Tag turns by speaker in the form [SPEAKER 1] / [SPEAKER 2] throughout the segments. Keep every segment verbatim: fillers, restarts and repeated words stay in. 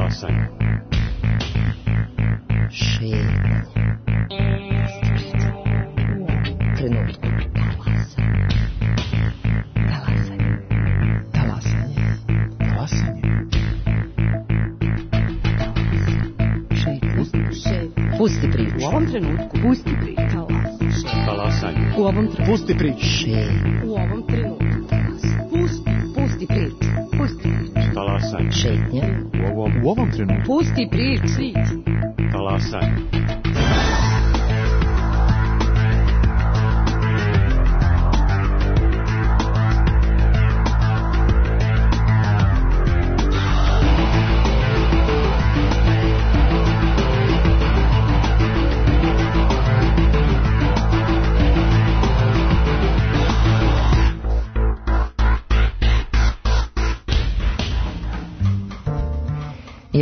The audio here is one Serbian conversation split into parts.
[SPEAKER 1] Talasanje.
[SPEAKER 2] Šetnje. Trenutku. Talasanje. Talasanje.
[SPEAKER 3] Talasanje.
[SPEAKER 2] Šetnje. Pusti priču.
[SPEAKER 4] U ovom trenutku. Pusti priču.
[SPEAKER 1] Talasanje.
[SPEAKER 4] U ovom trenutku.
[SPEAKER 3] Pusti priču.
[SPEAKER 2] Šetnje.
[SPEAKER 4] U ovom trenutku. Pusti. Pusti priču. Pusti priču.
[SPEAKER 1] Talasanje.
[SPEAKER 2] Šetnje.
[SPEAKER 1] U ovom,
[SPEAKER 3] U ovom trenutku.
[SPEAKER 4] Pusti priču.
[SPEAKER 1] talasanje.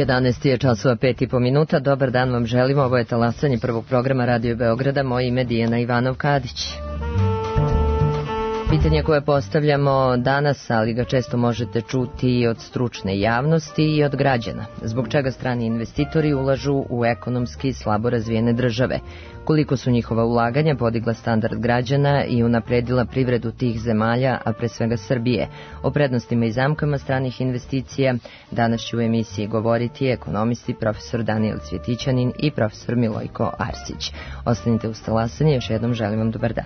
[SPEAKER 2] jedanaest je časova pet i po minuta. Dobar dan vam želimo. Ovo je talasanje prvog programa Radio Beograda. Moje ime Dijana Ivanov-Kadić. Pitanje koje postavljamo danas, ali ga često možete čuti i od stručne javnosti i od građana. Zbog čega strani investitori ulažu u ekonomski slabo razvijene države? Koliko su njihova ulaganja podigla standard građana i unapredila privredu tih zemalja, a pre svega Srbije? O prednostima i zamkama stranih investicija danas će u emisiji govoriti ekonomisti profesor Danijel Cvjetićanin i profesor Milojko Arsić. Ostanite uz talasanje, još jednom želim vam dobar dan.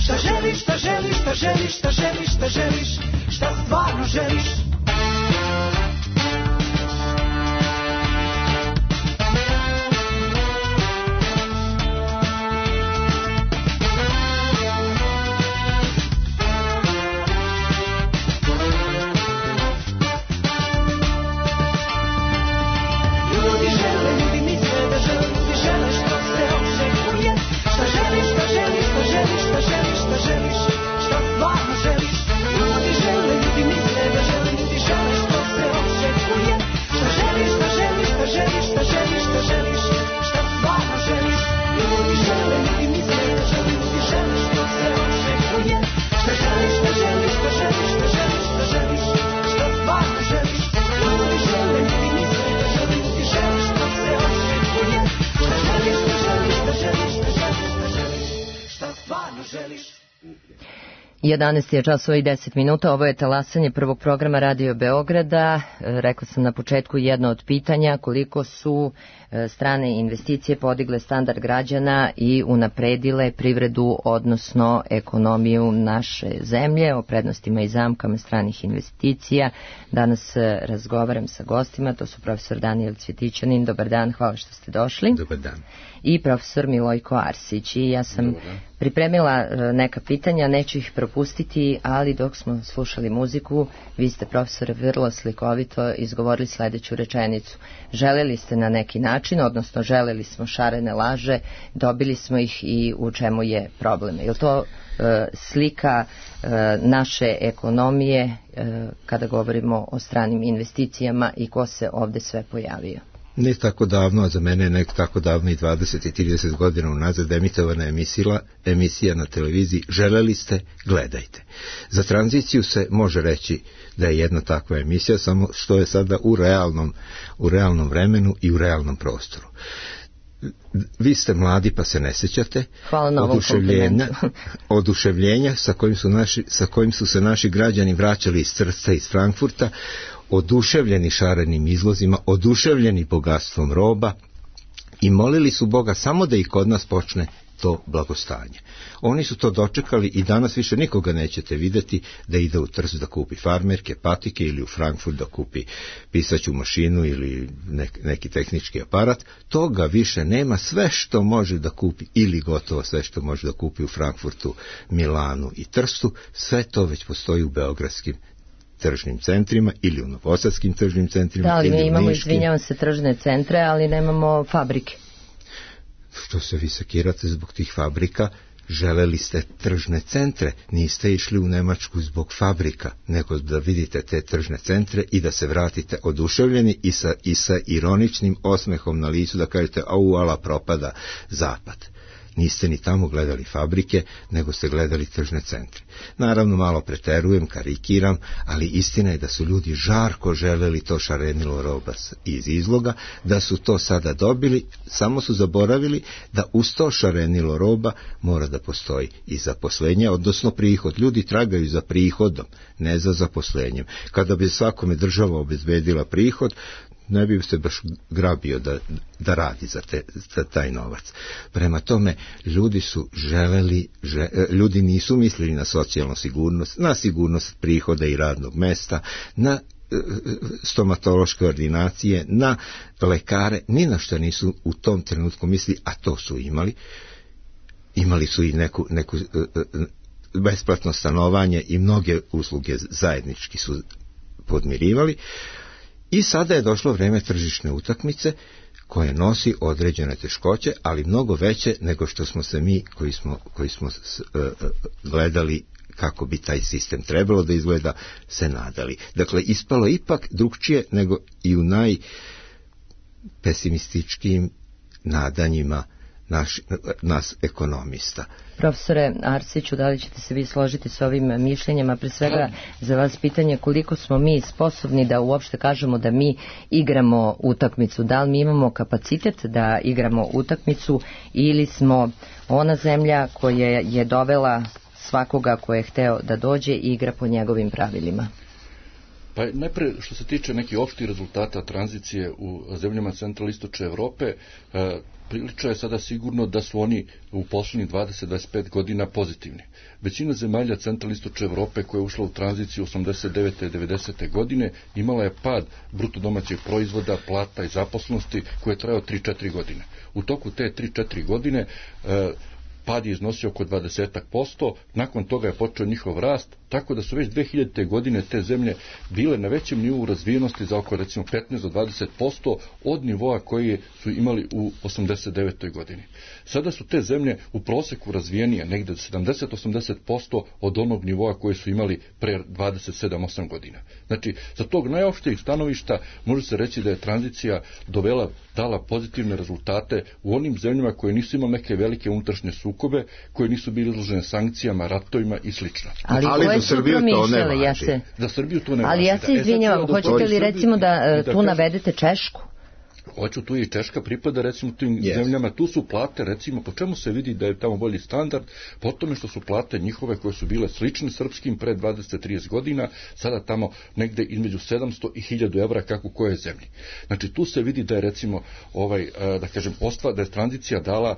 [SPEAKER 5] Šta želiš, šta želiš, šta želiš, šta želiš, šta želiš, šta stvarno želiš.
[SPEAKER 2] jedanaest je časova i deset minuta, ovo je talasanje prvog programa Radio Beograda. Rekla sam na početku jedno od pitanja, koliko su strane investicije podigle standard građana i unapredile privredu, odnosno ekonomiju naše zemlje, o prednostima i zamkama stranih investicija. Danas razgovaram sa gostima, to su profesor Danijel Cvjetićanin, dobar dan, hvala što ste došli.
[SPEAKER 3] Dobar dan.
[SPEAKER 2] I profesor Milojko Arsić. I ja sam pripremila neka pitanja, neću ih propustiti, ali dok smo slušali muziku, vi ste, profesore, vrlo slikovito izgovorili sledeću rečenicu. Želeli ste na neki način, odnosno želeli smo šarene laže, dobili smo ih i u čemu je problem. Je li to e, slika e, naše ekonomije e, kada govorimo o stranim investicijama i ko se ovde sve pojavio?
[SPEAKER 3] Ne tako davno, a za mene je nek tako davno i dvadeset i trideset godina unazad emitovana emisija, emisija na televiziji Želeli ste, gledajte. Za tranziciju se može reći da je jedna takva emisija, samo što je sada u realnom, u realnom vremenu i u realnom prostoru. Vi ste mladi pa se ne sećate oduševljenja, oduševljenja sa kojim, su naši, sa kojim su se naši građani vraćali iz Trsta i iz Frankfurta, oduševljeni šarenim izlozima, oduševljeni bogatstvom roba i molili su Boga samo da i kod nas počne to blagostanje. Oni su to dočekali i danas više nikoga nećete videti da ide u Trst da kupi farmerke, patike ili u Frankfurt da kupi pisaću mašinu ili nek, neki tehnički aparat. Toga više nema. Sve što može da kupi ili gotovo sve što može da kupi u Frankfurtu, Milanu i Trstu, sve to već postoji u beogradskim tržnim centrima ili u novosadskim tržnim centrima.
[SPEAKER 2] Da, ali
[SPEAKER 3] mi
[SPEAKER 2] imamo, izvinjavam se, tržne centre, ali nemamo fabrike.
[SPEAKER 3] Što se vi sekirate zbog tih fabrika? Želeli ste tržne centre, niste išli u Nemačku zbog fabrika, nego da vidite te tržne centre i da se vratite oduševljeni i sa, i sa ironičnim osmehom na licu da kažete au, ala, propada zapad. Niste ni tamo gledali fabrike, nego ste gledali tržne centre. Naravno, malo preterujem, karikiram, ali istina je da su ljudi žarko želeli to šarenilo roba iz izloga, da su to sada dobili, samo su zaboravili da uz to šarenilo roba mora da postoji i zaposlenje, odnosno prihod. Ljudi tragaju za prihodom, ne za zaposlenjem. Kada bi svakome država obezbedila prihod, ne bi se baš grabio da, da radi za, te, za taj novac. Prema tome, ljudi su želeli, že, ljudi nisu mislili na socijalnu sigurnost, na sigurnost prihoda i radnog mesta, na stomatološke ordinacije, na lekare, ni na što nisu u tom trenutku mislili, a to su imali. Imali su i neku, neku besplatno stanovanje i mnoge usluge zajednički su podmirivali. I sada je došlo vreme tržišne utakmice koje nosi određene teškoće, ali mnogo veće nego što smo se mi koji smo, koji smo uh, gledali kako bi taj sistem trebalo da izgleda, se nadali. Dakle, ispalo ipak drugčije nego i u najpesimističkijim nadanjima naš, nas ekonomista.
[SPEAKER 2] Profesore Arsiću, da li ćete se vi složiti s ovim mišljenjama? Pre svega za vas pitanje koliko smo mi sposobni da uopšte kažemo da mi igramo utakmicu. Da li mi imamo kapacitet da igramo utakmicu ili smo ona zemlja koja je dovela svakoga ko je hteo da dođe i igra po njegovim pravilima?
[SPEAKER 5] Pa najpre što se tiče nekih opštih rezultata tranzicije u zemljama centralistočne Evrope, e, prilično je sada sigurno da su oni u poslednjih dvadeset do dvadeset pet godina pozitivni. Većina zemalja centralistočne Evrope koja je ušla u tranziciju osamdeset devete i devedesete godine imala je pad bruto domaćeg proizvoda, plata i zaposlenosti koje je trajao tri do četiri godine. U toku te tri do četiri godine e, pad je iznosio oko dvadeset posto, nakon toga je počeo njihov rast, tako da su već dve hiljadite godine te zemlje bile na većem nivou razvijenosti za oko recimo petnaest do dvadeset posto od nivoa koji su imali u osamdeset devetoj godini. Sada su te zemlje u proseku razvijenije negde sedamdeset do osamdeset posto od onog nivoa koje su imali pre dvadeset sedam do osam godina. Znači, sa tog najopštijeg stanovišta može se reći da je tranzicija dovela, dala pozitivne rezultate u onim zemljama koje nisu imali neke velike unutrašnje sukobe, koje nisu bili izložene sankcijama, ratovima i slično.
[SPEAKER 2] Ali,
[SPEAKER 3] Ali za Srbiju to ne važi.
[SPEAKER 2] Ja se...
[SPEAKER 5] Za Srbiju to ne važi.
[SPEAKER 2] Ali ja se izvinjavam,
[SPEAKER 5] e,
[SPEAKER 2] hoćete li recimo da, da tu
[SPEAKER 5] kažem,
[SPEAKER 2] navedete Češku?
[SPEAKER 5] Hoću, tu je i Češka pripada recimo tim yes. zemljama, tu su plate recimo, po čemu se vidi da je tamo bolji standard, po tome što su plate njihove koje su bile slične srpskim pre dvadeset do trideset godina, sada tamo negde između sedamsto i hiljadu evra kako u kojoj zemlji. Znači tu se vidi da je recimo ovaj, da kažem, ostva, da je tranzicija dala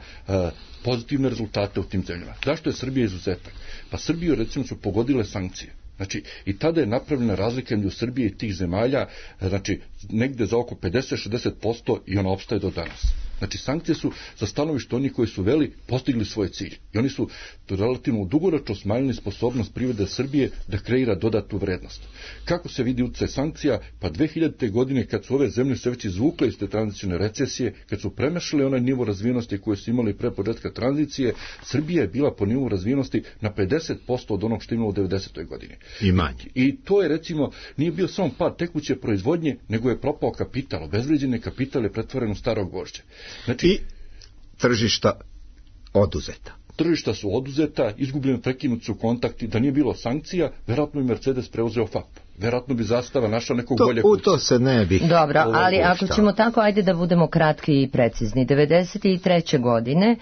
[SPEAKER 5] pozitivne rezultate u tim zemljama. Zašto je Srbija izuzetak? Pa Srbiju recimo su pogodile sankcije. Znači, i tada je napravljena razlika između Srbije i tih zemalja, znači, negde za oko pedeset do šezdeset posto i ona opstaje do danas. Znači, sankcije su za stanovište oni koji su veli postigli svoj cilj. I oni su relativno dugoročno smanjili sposobnost privrede Srbije da kreira dodatnu vrednost. Kako se vidi utjecaj sankcija? Pa dve hiljadite. godine kad su ove zemlje se već izvukle iz te tranzicijne recesije, kad su premašile onaj nivo razvijenosti koje su imali pre početka tranzicije, Srbija je bila po nivou razvijenosti na pedeset posto od onog što imala u devedesetoj. godini.
[SPEAKER 3] I manje.
[SPEAKER 5] I to je recimo, nije bio samo pad tekuće proizvodnje, nego je propao kapital. Obezvređeni kapital je pretvoren u staro gvožđe. Znači,
[SPEAKER 3] i tržišta oduzeta.
[SPEAKER 5] Tržišta su oduzeta, izgubljeni, prekinuti su kontakti, da nije bilo sankcija, verovatno bi Mercedes preuzeo F A P. Verovatno bi Zastava našla nekog bolje kuća.
[SPEAKER 3] U to se ne bi.
[SPEAKER 2] Dobro, ali ako ćemo tako, ajde da budemo kratki i precizni. devedeset treće. godine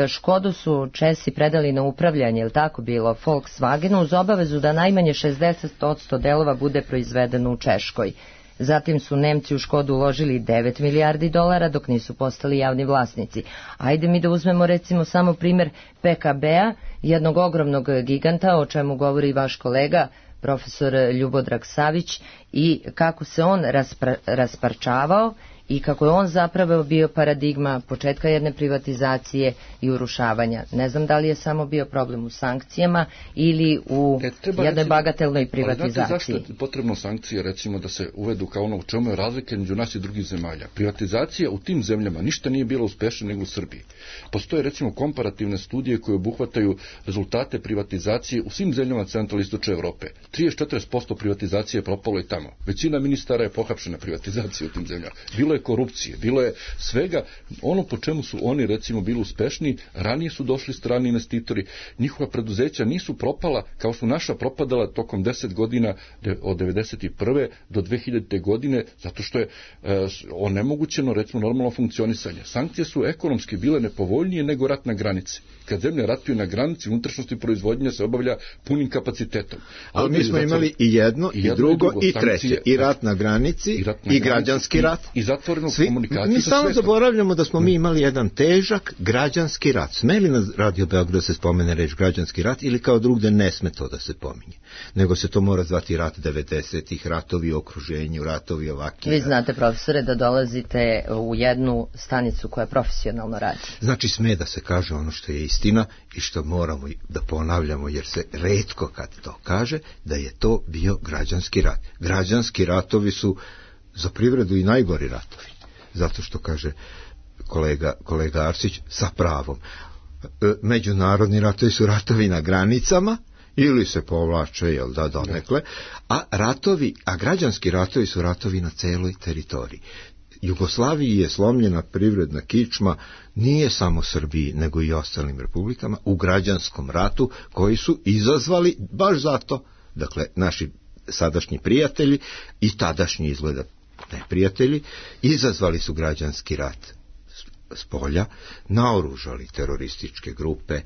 [SPEAKER 2] Škodu su Česi predali na upravljanje, je li tako bilo, Volkswagenu, uz obavezu da najmanje šezdeset posto delova bude proizvedeno u Češkoj. Zatim su Nemci u Škodu uložili devet milijardi dolara dok nisu postali javni vlasnici. Ajde mi da uzmemo recimo samo primjer P K B-a, jednog ogromnog giganta, o čemu govori vaš kolega profesor Ljubodrag Savić, i kako se on raspra, rasparčavao i kako je on zapravo bio paradigma početka jedne privatizacije i urušavanja. Ne znam da li je samo bio problem u sankcijama ili u e, jednoj recimo, bagatelnoj privatizaciji.
[SPEAKER 5] Ali znate zašto je potrebno sankcije recimo da se uvedu kao ono u čemu je razlika među nas i drugih zemalja? Privatizacija u tim zemljama ništa nije bila uspešna nego u Srbiji. Postoje recimo komparativne studije koje obuhvataju rezultate privatizacije u svim zemljama centralno-istočne Evrope. trideset do četrdeset posto privatizacije je propalo i tamo. Većina ministara je pohapšena privatizacija u tim zemljama. Bilo je korupcije, bilo je svega, ono po čemu su oni recimo bili uspešni, ranije su došli strani investitori, njihova preduzeća nisu propala kao su naša propadala tokom deset godina od devedeset prve do dve hiljadite. godine, zato što je e, onemogućeno recimo normalno funkcionisanje. Sankcije su ekonomski bile nepovoljnije nego rat na granici. Kad zemlje ratuju na granici, unutrašnjosti proizvodnja se obavlja punim kapacitetom.
[SPEAKER 3] Ali mi smo imali i jedno, i, i jedno, drugo, i, drugo, i treće. Sankcije, i rat na granici, i, rat na i građanski granici, rat.
[SPEAKER 5] I, i zatvorenu Svi, komunikaciju.
[SPEAKER 3] Mi samo zaboravljamo da smo mi imali jedan težak građanski rat. Sme li na Radio Beogradu da se spomene reč građanski rat ili kao drugde ne sme to da se pominje? Nego se to mora zvati rat devedesetih, ratovi u okruženju, ratovi ovaki.
[SPEAKER 2] Vi znate, profesore, da dolazite u jednu stanicu koja profesionalno radi.
[SPEAKER 3] Znači sme da se kaže ono što je istina i što moramo da ponavljamo, jer se retko kad to kaže, da je to bio građanski rat. Građanski ratovi su za privredu i najgori ratovi. Zato što kaže kolega, kolega Arsić, sa pravom. Međunarodni ratovi su ratovi na granicama, ili se povlače, jel da, donekle, a ratovi, a građanski ratovi su ratovi na celoj teritoriji. Jugoslaviji je slomljena privredna kičma, nije samo Srbiji, nego i ostalim republikama, u građanskom ratu, koji su izazvali baš zato, dakle, naši sadašnji prijatelji i tadašnji izgleda neprijatelji, izazvali su građanski rat s polja, naoružali terorističke grupe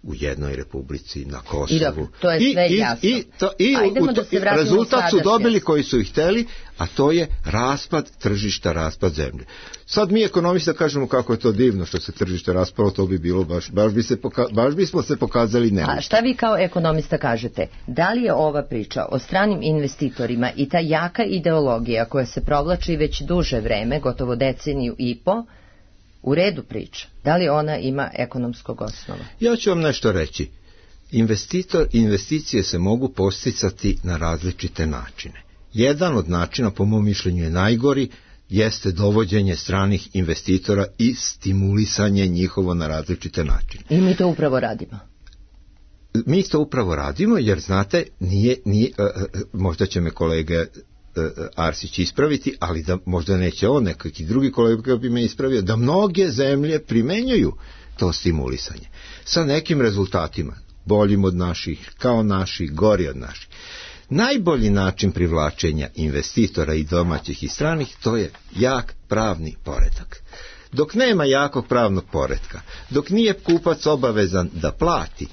[SPEAKER 3] u jednoj republici na Kosovu.
[SPEAKER 2] I dobro, to je sve
[SPEAKER 3] I,
[SPEAKER 2] jasno.
[SPEAKER 3] I, to, i u to,
[SPEAKER 2] da
[SPEAKER 3] rezultat su dobili koji su ih hteli, a to je raspad tržišta, raspad zemlje. Sad mi ekonomista kažemo kako je to divno što se tržište raspalo, to bi bilo baš, baš, bi se poka, baš bismo se pokazali nemoćni.
[SPEAKER 2] A šta vi kao ekonomista kažete? Da li je ova priča o stranim investitorima i ta jaka ideologija koja se provlači već duže vreme, gotovo deceniju i po, u redu priča? Da li ona ima ekonomskog osnova?
[SPEAKER 3] Ja ću vam nešto reći. Investitor, investicije se mogu posticati na različite načine. Jedan od načina, po mom mišljenju je najgori, jeste dovođenje stranih investitora i stimulisanje njihovo na različite načine.
[SPEAKER 2] I mi to upravo radimo.
[SPEAKER 3] Mi to upravo radimo, jer znate, nije, nije, možda će me kolege Arsić ispraviti, ali da možda neće on, nekaki drugi kolega bi me ispravio, da mnoge zemlje primenjuju to stimulisanje sa nekim rezultatima, boljim od naših, kao naših, gori od naših. Najbolji način privlačenja investitora i domaćih i stranih, to je jak pravni poredak. Dok nema jakog pravnog poretka, dok nije kupac obavezan da plati,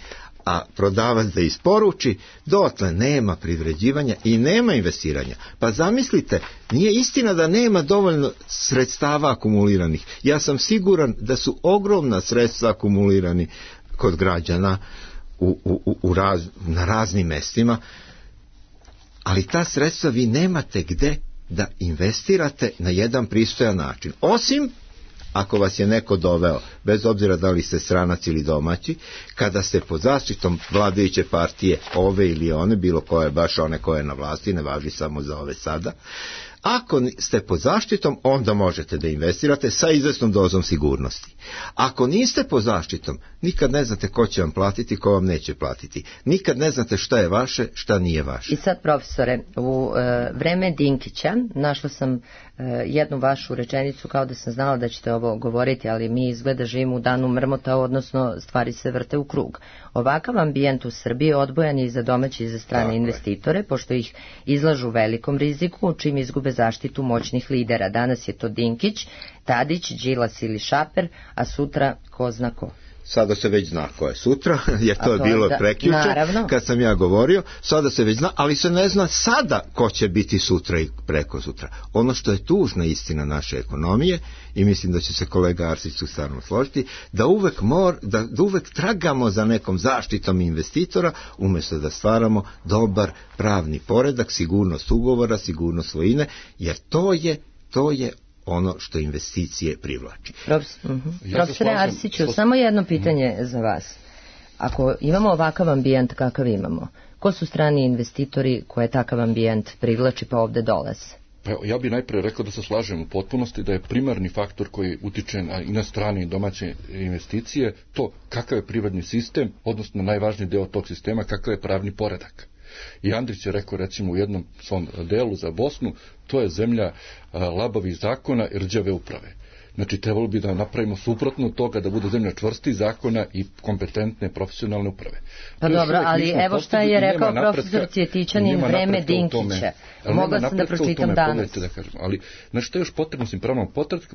[SPEAKER 3] a prodavac da isporuči, dotle nema privređivanja i nema investiranja. Pa zamislite, nije istina da nema dovoljno sredstava akumuliranih. Ja sam siguran da su ogromna sredstva akumulirani kod građana u, u, u raz, na raznim mestima, ali ta sredstva vi nemate gde da investirate na jedan pristojan način. Osim ako vas je neko doveo, bez obzira da li ste stranac ili domaći, kada ste pod zaštitom vladajuće partije, ove ili one, bilo koje, baš one koje je na vlasti, ne važi samo za ove sada, ako ste pod zaštitom, onda možete da investirate sa izvesnom dozom sigurnosti. Ako niste pod zaštitom, nikad ne znate ko će vam platiti, ko vam neće platiti. Nikad ne znate šta je vaše, šta nije vaše.
[SPEAKER 2] I sad, profesore, u e, vreme Dinkića našla sam e, jednu vašu rečenicu, kao da sam znala da ćete ovo govoriti, ali mi izgleda živimo u danu mrmota, odnosno stvari se vrte u krug. Ovakav ambijent u Srbiji odbojan je i za domaće i za strane Tako investitore, je. Pošto ih izlažu velikom riziku, čim izgube zaštitu moćnih lidera. Danas je to Dinkić, Tadić, Đilas ili Šaper, a sutra ko zna ko.
[SPEAKER 3] Sada se već zna ko je sutra, jer to, to je bilo da, prekjuče, kad sam ja govorio, sada se već zna, ali se ne zna sada ko će biti sutra i preko sutra. Ono što je tužna istina naše ekonomije, i mislim da će se kolega Arsić tu stvarno složiti, da uvek, mor, da, da uvek tragamo za nekom zaštitom investitora, umjesto da stvaramo dobar pravni poredak, sigurnost ugovora, sigurnost svojine, jer to je, to je ono što investicije privlači.
[SPEAKER 2] Profes, uh-huh. ja Profesore Arsiću, slo... samo jedno pitanje uh-huh. za vas. Ako imamo ovakav ambijent kakav imamo, ko su strani investitori koje takav ambijent privlači pa ovde dolaze?
[SPEAKER 5] Pa ja bih najprije rekao da se slažem u potpunosti da je primarni faktor koji utiče na, i na strane i domaće investicije to kakav je privredni sistem, odnosno najvažniji deo tog sistema, kakav je pravni poredak. I Andrić je rekao recimo u jednom svom delu za Bosnu, to je zemlja labavih zakona i rđave uprave. Znači, trebalo bi da napravimo suprotno od toga, da bude zemlja čvrstih zakona i kompetentne profesionalne uprave.
[SPEAKER 2] Pa dobro, ali evo šta je rekao profesor Cvjetićanin vreme Dinkića. Mogla sam da pročitam danas.
[SPEAKER 5] Da kažem. Ali, znači, što je još potrebno s pravnom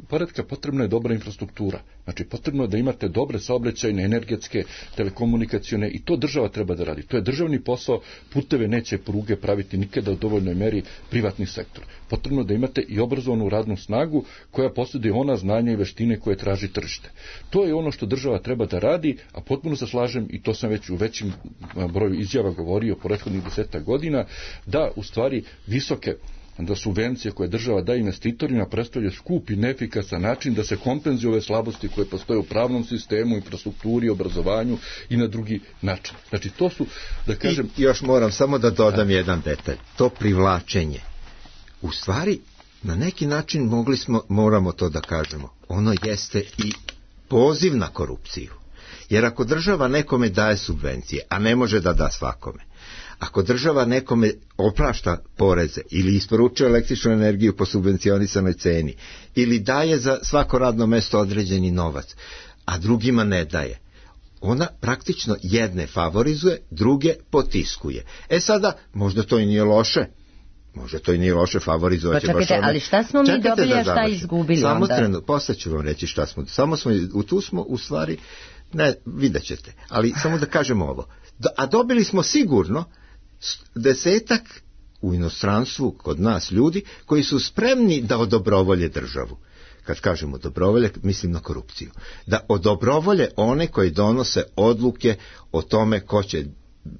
[SPEAKER 5] poretka? Potrebna je dobra infrastruktura. Znači, potrebno je da imate dobre saobraćajne, energetske, telekomunikacione, i to država treba da radi. To je državni posao, puteve neće pruge praviti nikada u dovoljnoj meri privatni sektor. Potrebno je da imate i obrazovanu radnu snagu koja posjeduje ona znanja i veštine koje traži tržište. To je ono što država treba da radi, a potpuno se slažem, i to sam već u većim broju izjava govorio po prethodnih desetak godina, da u stvari visoke da subvencije koje država daje investitorima predstavlja skup i neefikasan način da se kompenzuju ove slabosti koje postoje u pravnom sistemu, infrastrukturi, obrazovanju i na drugi način. Znači to su, da kažem...
[SPEAKER 3] I još moram samo da dodam da. jedan detalj. To privlačenje. U stvari, na neki način mogli smo, moramo to da kažemo, ono jeste i poziv na korupciju. Jer ako država nekome daje subvencije, a ne može da da svakome, ako država nekome oprašta poreze ili isporučuje električnu energiju po subvencionisanoj ceni ili daje za svako radno mesto određeni novac, a drugima ne daje, ona praktično jedne favorizuje, druge potiskuje. E sada, možda to i nije loše, Može to i nije loše, favorizovat će baš one.
[SPEAKER 2] Ali šta smo mi Čekajte dobili, a šta izgubili
[SPEAKER 3] Samo
[SPEAKER 2] onda?
[SPEAKER 3] Trenu, posle ću vam reći šta smo. Samo smo, u tu smo u stvari, ne, vidjet ćete. Ali samo da kažemo ovo. A dobili smo sigurno desetak u inostranstvu kod nas ljudi koji su spremni da odobrovolje državu. Kad kažemo dobrovolje, mislim na korupciju. Da odobrovolje one koji donose odluke o tome ko će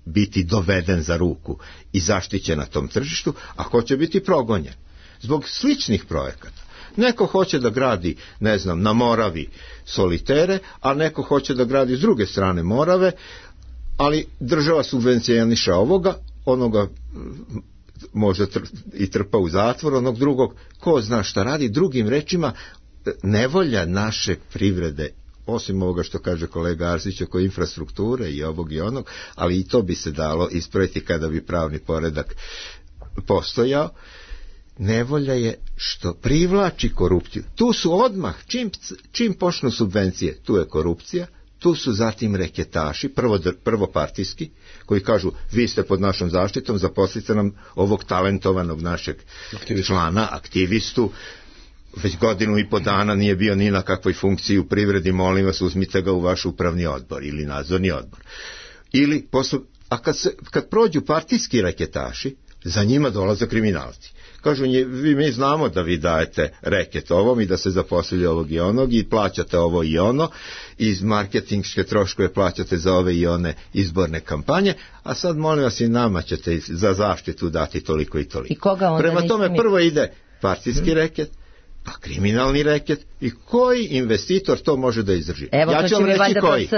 [SPEAKER 3] biti doveden za ruku i zaštićen na tom tržištu, a ko će biti progonjen. Zbog sličnih projekata. Neko hoće da gradi, ne znam, na Moravi solitere, a neko hoće da gradi s druge strane Morave, ali država subvencioniše ovoga, onoga možda tr- i trpa u zatvor, onog drugog, ko zna šta radi. Drugim rečima, nevolja naše privrede, osim ovoga što kaže kolega Arsić oko infrastrukture i ovog i onog, ali i to bi se dalo ispraviti kada bi pravni poredak postojao, nevolja je što privlači korupciju. Tu su odmah, čim, čim počnu subvencije, tu je korupcija, Tu su zatim reketaši, prvo, prvo partijski, koji kažu vi ste pod našom zaštitom, zaposlite nam ovog talentovanog našeg člana, aktivistu, već godinu i po dana nije bio ni na kakvoj funkciji u privredi, molim vas, uzmite ga u vaš upravni odbor ili nadzorni odbor. Ili posle, a kad, se, kad prođu partijski reketaši, za njima dolaze kriminalci. Kažu, vi mi znamo da vi dajete reket ovom i da se zaposlili ovog i onog i plaćate ovo i ono, i marketingške troškove plaćate za ove i one izborne kampanje, a sad molim vas i nama ćete za zaštitu dati toliko i toliko.
[SPEAKER 2] I koga onda
[SPEAKER 3] Prema tome
[SPEAKER 2] mi...
[SPEAKER 3] prvo ide partijski hmm. reket, pa kriminalni reket, i koji investitor to može da izdrži?
[SPEAKER 2] Evo,
[SPEAKER 3] ja ću vam reći koji.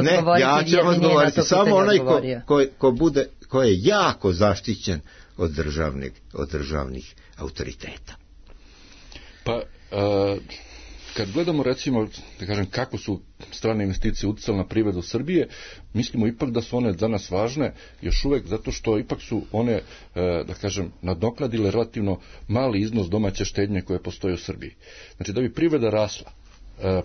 [SPEAKER 2] Ne,
[SPEAKER 3] ja ću vam odgovoriti samo onaj ko, ko, ko, bude, ko je jako zaštićen od državnih, od državnih autoriteta.
[SPEAKER 5] Pa, a, kad gledamo recimo, da kažem, kako su strane investicije uticale na privredu Srbije, mislimo ipak da su one za nas važne, još uvek zato što ipak su one, da kažem, nadoknadile relativno mali iznos domaće štednje koje postoje u Srbiji. Znači, da bi privreda rasla,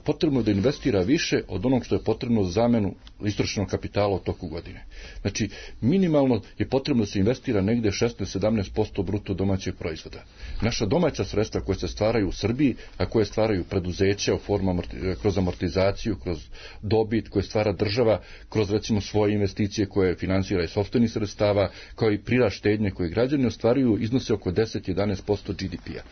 [SPEAKER 5] potrebno da investira više od onog što je potrebno za zamenu istočnog kapitala u toku godine. Znači, minimalno je potrebno da se investira negde šesnaest do sedamnaest posto bruto domaćeg proizvoda. Naša domaća sredstva koje se stvaraju u Srbiji, a koje stvaraju preduzeća u formu, kroz amortizaciju, kroz dobit koje stvara država, kroz recimo svoje investicije koje finansira iz sopstvenih sredstava, kao i prirast štednje koje građani ostvaruju, iznose oko deset do jedanaest posto G D P-a.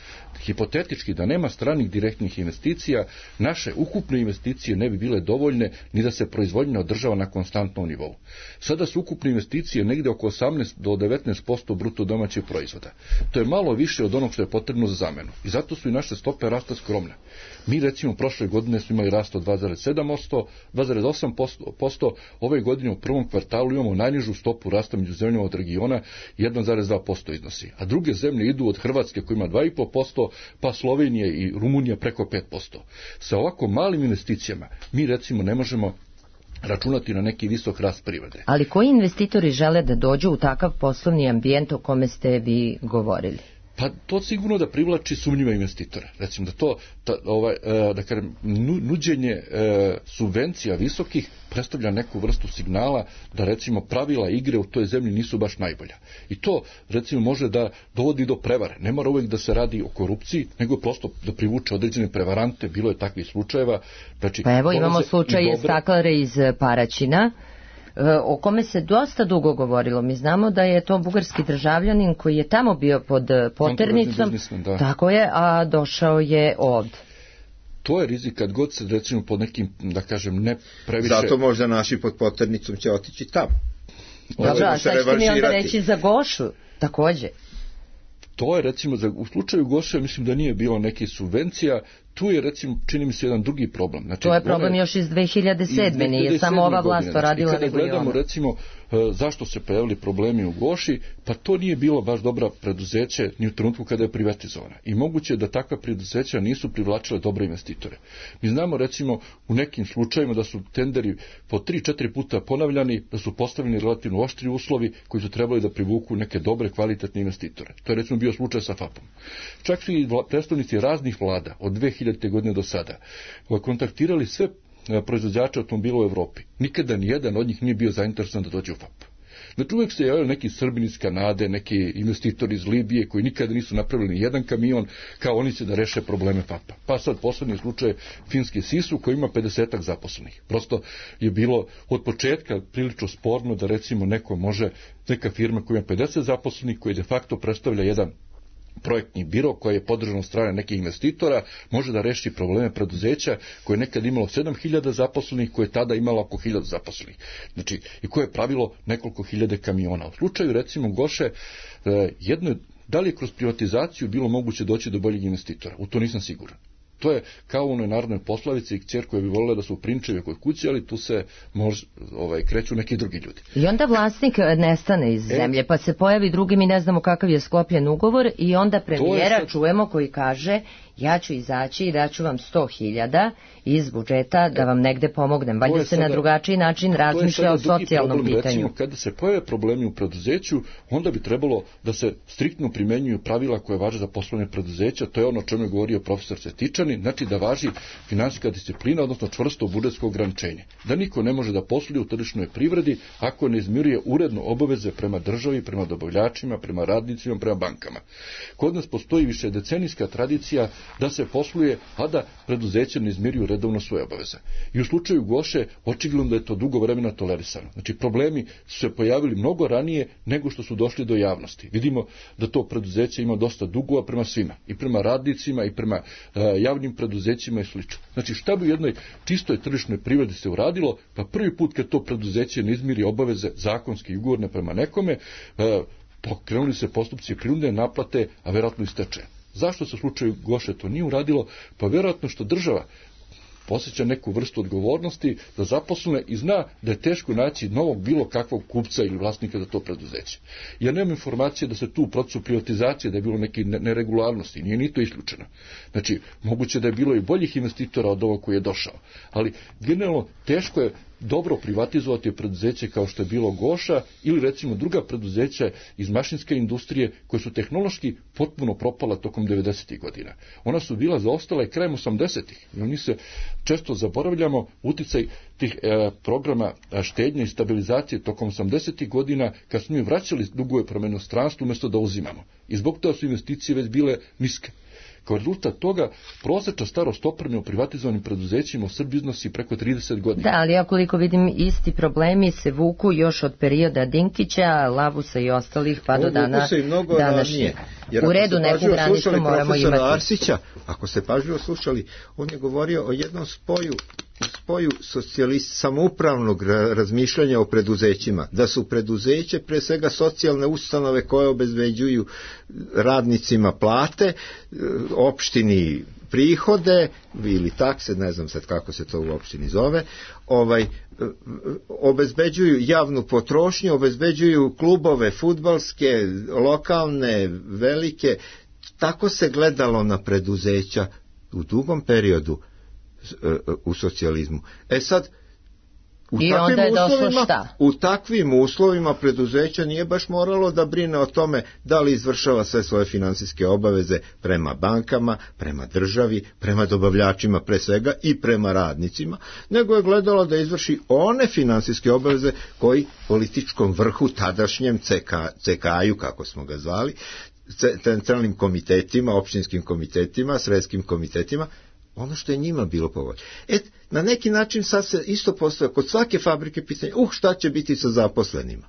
[SPEAKER 5] Hipotetički, da nema stranih direktnih investicija, naše ukupne investicije ne bi bile dovoljne ni da se proizvodnja održava na konstantnom nivou. Sada su ukupne investicije negde oko osamnaest do devetnaest posto bruto domaćeg proizvoda. To je malo više od onog što je potrebno za zamenu. I zato su i naše stope rasta skromne. Mi recimo prošle godine smo imali rast od dva zarez sedam posto, dva zarez osam posto, ove godine u prvom kvartalu imamo najnižu stopu rasta među zemljama od regiona, jedan zarez dva posto iznosi. A druge zemlje idu od Hrvatske koja ima dva zarez pet posto, pa Slovenije i Rumunija preko pet posto. Sa ovako malim investicijama mi recimo ne možemo računati na neki visok rast privrede.
[SPEAKER 2] Ali koji investitori žele da dođu u takav poslovni ambijent o kome ste vi govorili?
[SPEAKER 5] Pa to sigurno da privlači sumnjive investitore. Recimo da to, ta, ovaj, da kažem, nuđenje subvencija visokih predstavlja neku vrstu signala da recimo pravila igre u toj zemlji nisu baš najbolja. I to recimo može da dovodi do prevare. Ne mora uvijek da se radi o korupciji, nego prosto da privuče određene prevarante, bilo je takvih slučajeva. Znači,
[SPEAKER 2] pa evo imamo slučaj dobre... Staklare iz Paraćina, o kome se dosta dugo govorilo. Mi znamo da je to bugarski državljanin koji je tamo bio pod poternicom, tako je, a došao je ovdje.
[SPEAKER 5] To je rizik kad god se recimo pod nekim, da kažem, ne previše...
[SPEAKER 3] Zato možda naši pod poternicom će otići tamo.
[SPEAKER 2] Dobro, a sad ćete mi onda reći za Gošu, također.
[SPEAKER 5] To je recimo, za, u slučaju Goše mislim da nije bilo neke subvencija, tu je recimo, čini mi se, jedan drugi problem. Znači,
[SPEAKER 2] to je problem one, još iz dve hiljade sedme, nije samo ova vlast to radila.
[SPEAKER 5] Znači, kada gledamo recimo zašto se pojavili problemi u Goši, pa to nije bilo baš dobra preduzeće ni u trenutku kada je privatizovana. I moguće je da takva preduzeća nisu privlačile dobre investitore. Mi znamo recimo u nekim slučajima da su tenderi po tri četiri puta ponavljani, da su postavljeni relativno oštri uslovi koji su trebali da privuku neke dobre kvalitetne investitore. To je recimo bio slučaj sa F A P-om. Čak su i predstavnici raznih vlada od dve hiljadite godine do sada kontaktirali sve proizvođača automobila u Evropi. Nikada ni jedan od njih nije bio zainteresovan da dođe u F A P. Znači uvijek se javili neki Srbini iz Kanade, neki investitori iz Libije koji nikada nisu napravili ni jedan kamion, kao oni će da reše probleme F A P-a. Pa sad poslednji slučaj finski Sisu koji ima pedesetak zaposlenih. Prosto je bilo od početka prilično sporno da recimo neko može, neka firma koja ima pedeset zaposlenih, koji de facto predstavlja jedan projektni biro koji je podržan od strane nekih investitora, može da reši probleme preduzeća koje je nekad imalo sedam hiljada zaposlenih, koje je tada imalo oko hiljadu zaposlenih. Znači, i koje je pravilo nekoliko hiljade kamiona. U slučaju recimo Goše, jedno, da li je kroz privatizaciju bilo moguće doći do boljeg investitora? U to nisam siguran. To je kao u onoj narodnoj poslovici i kćer koja bi volila da su prinčevi kod kuće, ali tu se mož, ovaj, kreću neki drugi ljudi.
[SPEAKER 2] I onda vlasnik nestane iz e, zemlje, pa se pojavi drugi, mi ne znamo kakav je sklopljen ugovor i onda premijera sad... čujemo koji kaže ja ću izaći i daću vam sto hiljada iz budžeta da vam negde pomognem. Valjda se sada na drugačiji način razmišlja o socijalnom
[SPEAKER 5] problem,
[SPEAKER 2] pitanju.
[SPEAKER 5] Recimo, kada se pojave problemi u preduzeću, onda bi trebalo da se striktno primenjuju pravila koje važe za poslovne preduzeća. To je ono o čemu je govorio profesor Cetičani, znači da važi finansijska disciplina, odnosno čvrsto budžetsko ograničenje. Da niko ne može da posluje u tržišnoj privredi ako ne izmiruje uredno obaveze prema državi, prema dobavljačima, prema radnicima, prema bankama. Kod nas postoji više decenijska tradicija da se posluje, a da preduzeće ne izmiruju redovno svoje obaveze. I u slučaju Goše očigledno da je to dugo vremena tolerisano. Znači problemi su se pojavili mnogo ranije nego što su došli do javnosti. Vidimo da to preduzeće ima dosta dugova prema svima, i prema radnicima i prema uh, javnim preduzećima i slično. Znači šta bi u jednoj čistoj tržišnoj privredi se uradilo, pa prvi put kad to preduzeće ne izmiri obaveze zakonske i ugovorne prema nekome, uh, pokrenuli se postupci prinudne naplate, a verovatno i stečaja. Zašto se u slučaju Goše to nije uradilo? Pa vjerojatno što država posjeća neku vrstu odgovornosti za zaposlene i zna da je teško naći novog bilo kakvog kupca ili vlasnika za to preduzeće. Ja nemam informacije da se tu u procesu privatizacije da je bilo neke neregularnosti, nije ni to isključeno. Znači, moguće da je bilo i boljih investitora od ovog koji je došao, ali generalno teško je dobro privatizovati preduzeće kao što je bilo Goša ili recimo druga preduzeća iz mašinske industrije koje su tehnološki potpuno propala tokom devedesetih godina. Ona su bila zaostala i krajem osamdesetih. I mi se često zaboravljamo uticaj tih e, programa štednje i stabilizacije tokom osamdesetih godina kad smo mi vraćali dugove prema inostranstvu umjesto da uzimamo. I zbog toga su investicije već bile niske. Kao rezultat toga, prosječna starost opreme u privatizovanim preduzećima u Srbiji iznosi preko trideset godina.
[SPEAKER 2] Da, ali ja koliko vidim, isti problemi se vuku još od perioda Dinkića, Labusa i ostalih pa do dana današnje. U redu, neku granicu moramo imati.
[SPEAKER 3] Arsića, ako ste pažljivo slušali, on je govorio o jednom spoju spoju socijalist samoupravnog razmišljanja o preduzećima, da su preduzeće pre svega socijalne ustanove koje obezbeđuju radnicima plate, opštini prihode ili takse, ne znam sad kako se to u opštini zove, ovaj obezbeđuju javnu potrošnju, obezbeđuju klubove fudbalske, lokalne, velike. Tako se gledalo na preduzeća u dugom periodu u socijalizmu. E sad, u
[SPEAKER 2] I
[SPEAKER 3] takvim
[SPEAKER 2] onda je došlo
[SPEAKER 3] uslovima,
[SPEAKER 2] šta?
[SPEAKER 3] U takvim uslovima preduzeća nije baš moralo da brine o tome da li izvršava sve svoje finansijske obaveze prema bankama, prema državi, prema dobavljačima pre svega i prema radnicima, nego je gledalo da izvrši one finansijske obaveze koji političkom vrhu, tadašnjem C K-u, kako smo ga zvali, centralnim komitetima, opštinskim komitetima, sredskim komitetima, ono što je njima bilo povoljno. Et, na neki način sad se isto postoje kod svake fabrike pitanje, uh, šta će biti sa zaposlenima?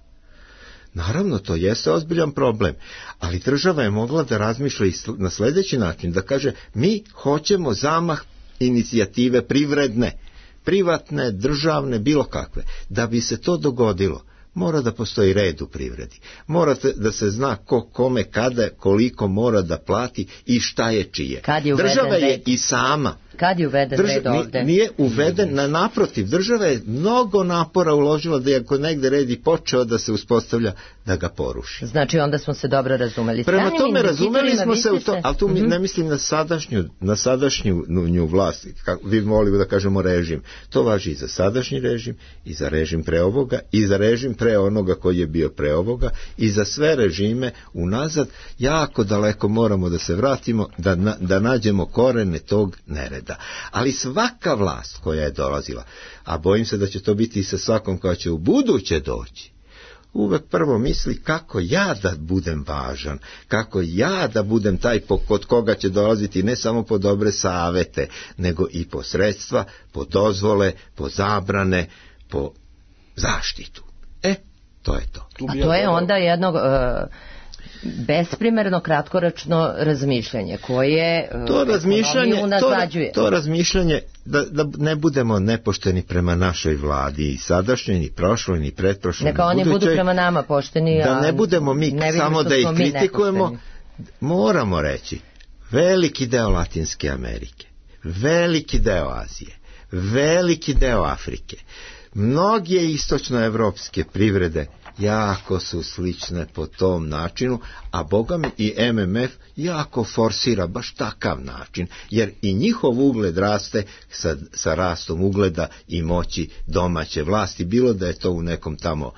[SPEAKER 3] Naravno, to jeste ozbiljan problem, ali država je mogla da razmišlja na sljedeći način, da kaže, mi hoćemo zamah inicijative privredne, privatne, državne, bilo kakve. Da bi se to dogodilo, mora da postoji red u privredi. Mora da se zna ko kome, kada, koliko mora da plati i šta je čije.
[SPEAKER 2] Je
[SPEAKER 3] država je
[SPEAKER 2] red?
[SPEAKER 3] I sama.
[SPEAKER 2] Kad je uveden
[SPEAKER 3] Drža,
[SPEAKER 2] red ovde?
[SPEAKER 3] Nije uveden, na naprotiv, država je mnogo napora uložila da je ako negde red i počeo da se uspostavlja, da ga poruši.
[SPEAKER 2] Znači onda smo se dobro razumeli.
[SPEAKER 3] Prema
[SPEAKER 2] Stranim
[SPEAKER 3] tome razumeli smo se u to,
[SPEAKER 2] se...
[SPEAKER 3] ali tu
[SPEAKER 2] mm-hmm.
[SPEAKER 3] ne mislim na sadašnju, na sadašnju nju vlast, kako vi volimo da kažemo režim. To važi i za sadašnji režim, i za režim pre ovoga, i za režim pre onoga koji je bio pre ovoga, i za sve režime unazad. Jako daleko moramo da se vratimo, da, na, da nađemo korene tog nereda. Ali svaka vlast koja je dolazila, a bojim se da će to biti i sa svakom koja će u buduće doći, uvek prvo misli kako ja da budem važan, kako ja da budem taj kod koga će dolaziti ne samo po dobre savete, nego i po sredstva, po dozvole, po zabrane, po zaštitu. E, to je to.
[SPEAKER 2] A to je onda jednog... Uh... besprimerno kratkoročno razmišljanje koje
[SPEAKER 3] to razmišljanje
[SPEAKER 2] unazađuje.
[SPEAKER 3] To, to razmišljanje da, da ne budemo nepošteni prema našoj vladi i sadašnjoj, ni prošloj, ni pretprošloj.
[SPEAKER 2] Neka oni budu prema nama pošteni.
[SPEAKER 3] Da ne budemo mi
[SPEAKER 2] ne
[SPEAKER 3] samo da ih kritikujemo. Moramo reći, veliki deo Latinske Amerike, veliki deo Azije, veliki deo Afrike, mnoge istočnoevropske privrede jako su slične po tom načinu, a boga mi i M M F jako forsira baš takav način, jer i njihov ugled raste sa, sa rastom ugleda i moći domaće vlasti, bilo da je to u nekom tamo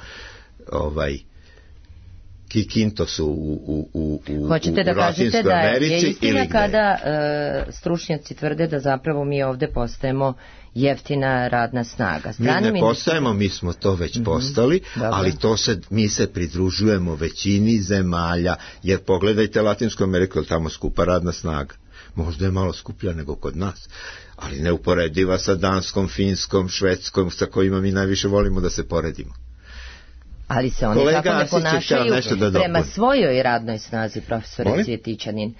[SPEAKER 3] ovaj Kikintosu u, u, u, u,
[SPEAKER 2] Hoćete da
[SPEAKER 3] u
[SPEAKER 2] kažete da
[SPEAKER 3] Americi,
[SPEAKER 2] je istina
[SPEAKER 3] ili
[SPEAKER 2] kada e, stručnjaci tvrde da zapravo mi ovde postajemo jeftina radna snaga.
[SPEAKER 3] Stranim mi ne postajemo, mi smo to već mm-hmm. postali, Dobre. ali to se, mi se pridružujemo većini zemalja, jer pogledajte Latinsku Ameriku, tamo skupa radna snaga. Možda je malo skuplja nego kod nas, ali neuporediva sa Danskom, Finskom, Švedskom, sa kojima mi najviše volimo da se poredimo.
[SPEAKER 2] Ali se oni
[SPEAKER 3] Kolega
[SPEAKER 2] tako ne ponašaju
[SPEAKER 3] da
[SPEAKER 2] prema svojoj radnoj snazi, profesore Cvjetićanin.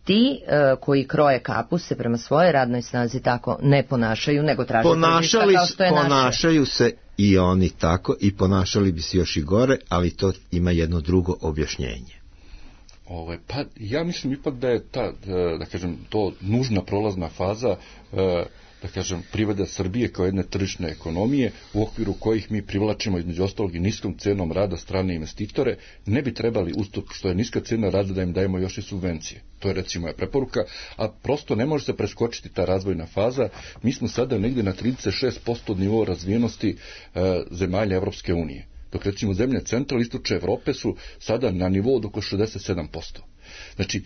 [SPEAKER 2] Ti uh, koji kroje kapu se prema svojoj radnoj snazi tako ne ponašaju, nego traže tržišta kao što je naše.
[SPEAKER 3] Ponašaju se i oni tako i ponašali bi se još i gore, ali to ima jedno drugo objašnjenje.
[SPEAKER 5] Ove, pa ja mislim ipak da je ta, da kažem, to nužna prolazna faza, da kažem, privrede Srbije kao jedne tržišne ekonomije, u okviru kojih mi privlačimo između ostalog i niskom cenom rada strane investitore, ne bi trebali ustup što je niska cena rada da im dajemo još i subvencije. To je recimo moja preporuka, a prosto ne može se preskočiti ta razvojna faza. Mi smo sada negdje na trideset šest posto od nivoa razvijenosti e, zemalja Evropske unije. Dok recimo zemlje centralne istočne Evrope su sada na nivou od oko šezdeset sedam posto. Znači,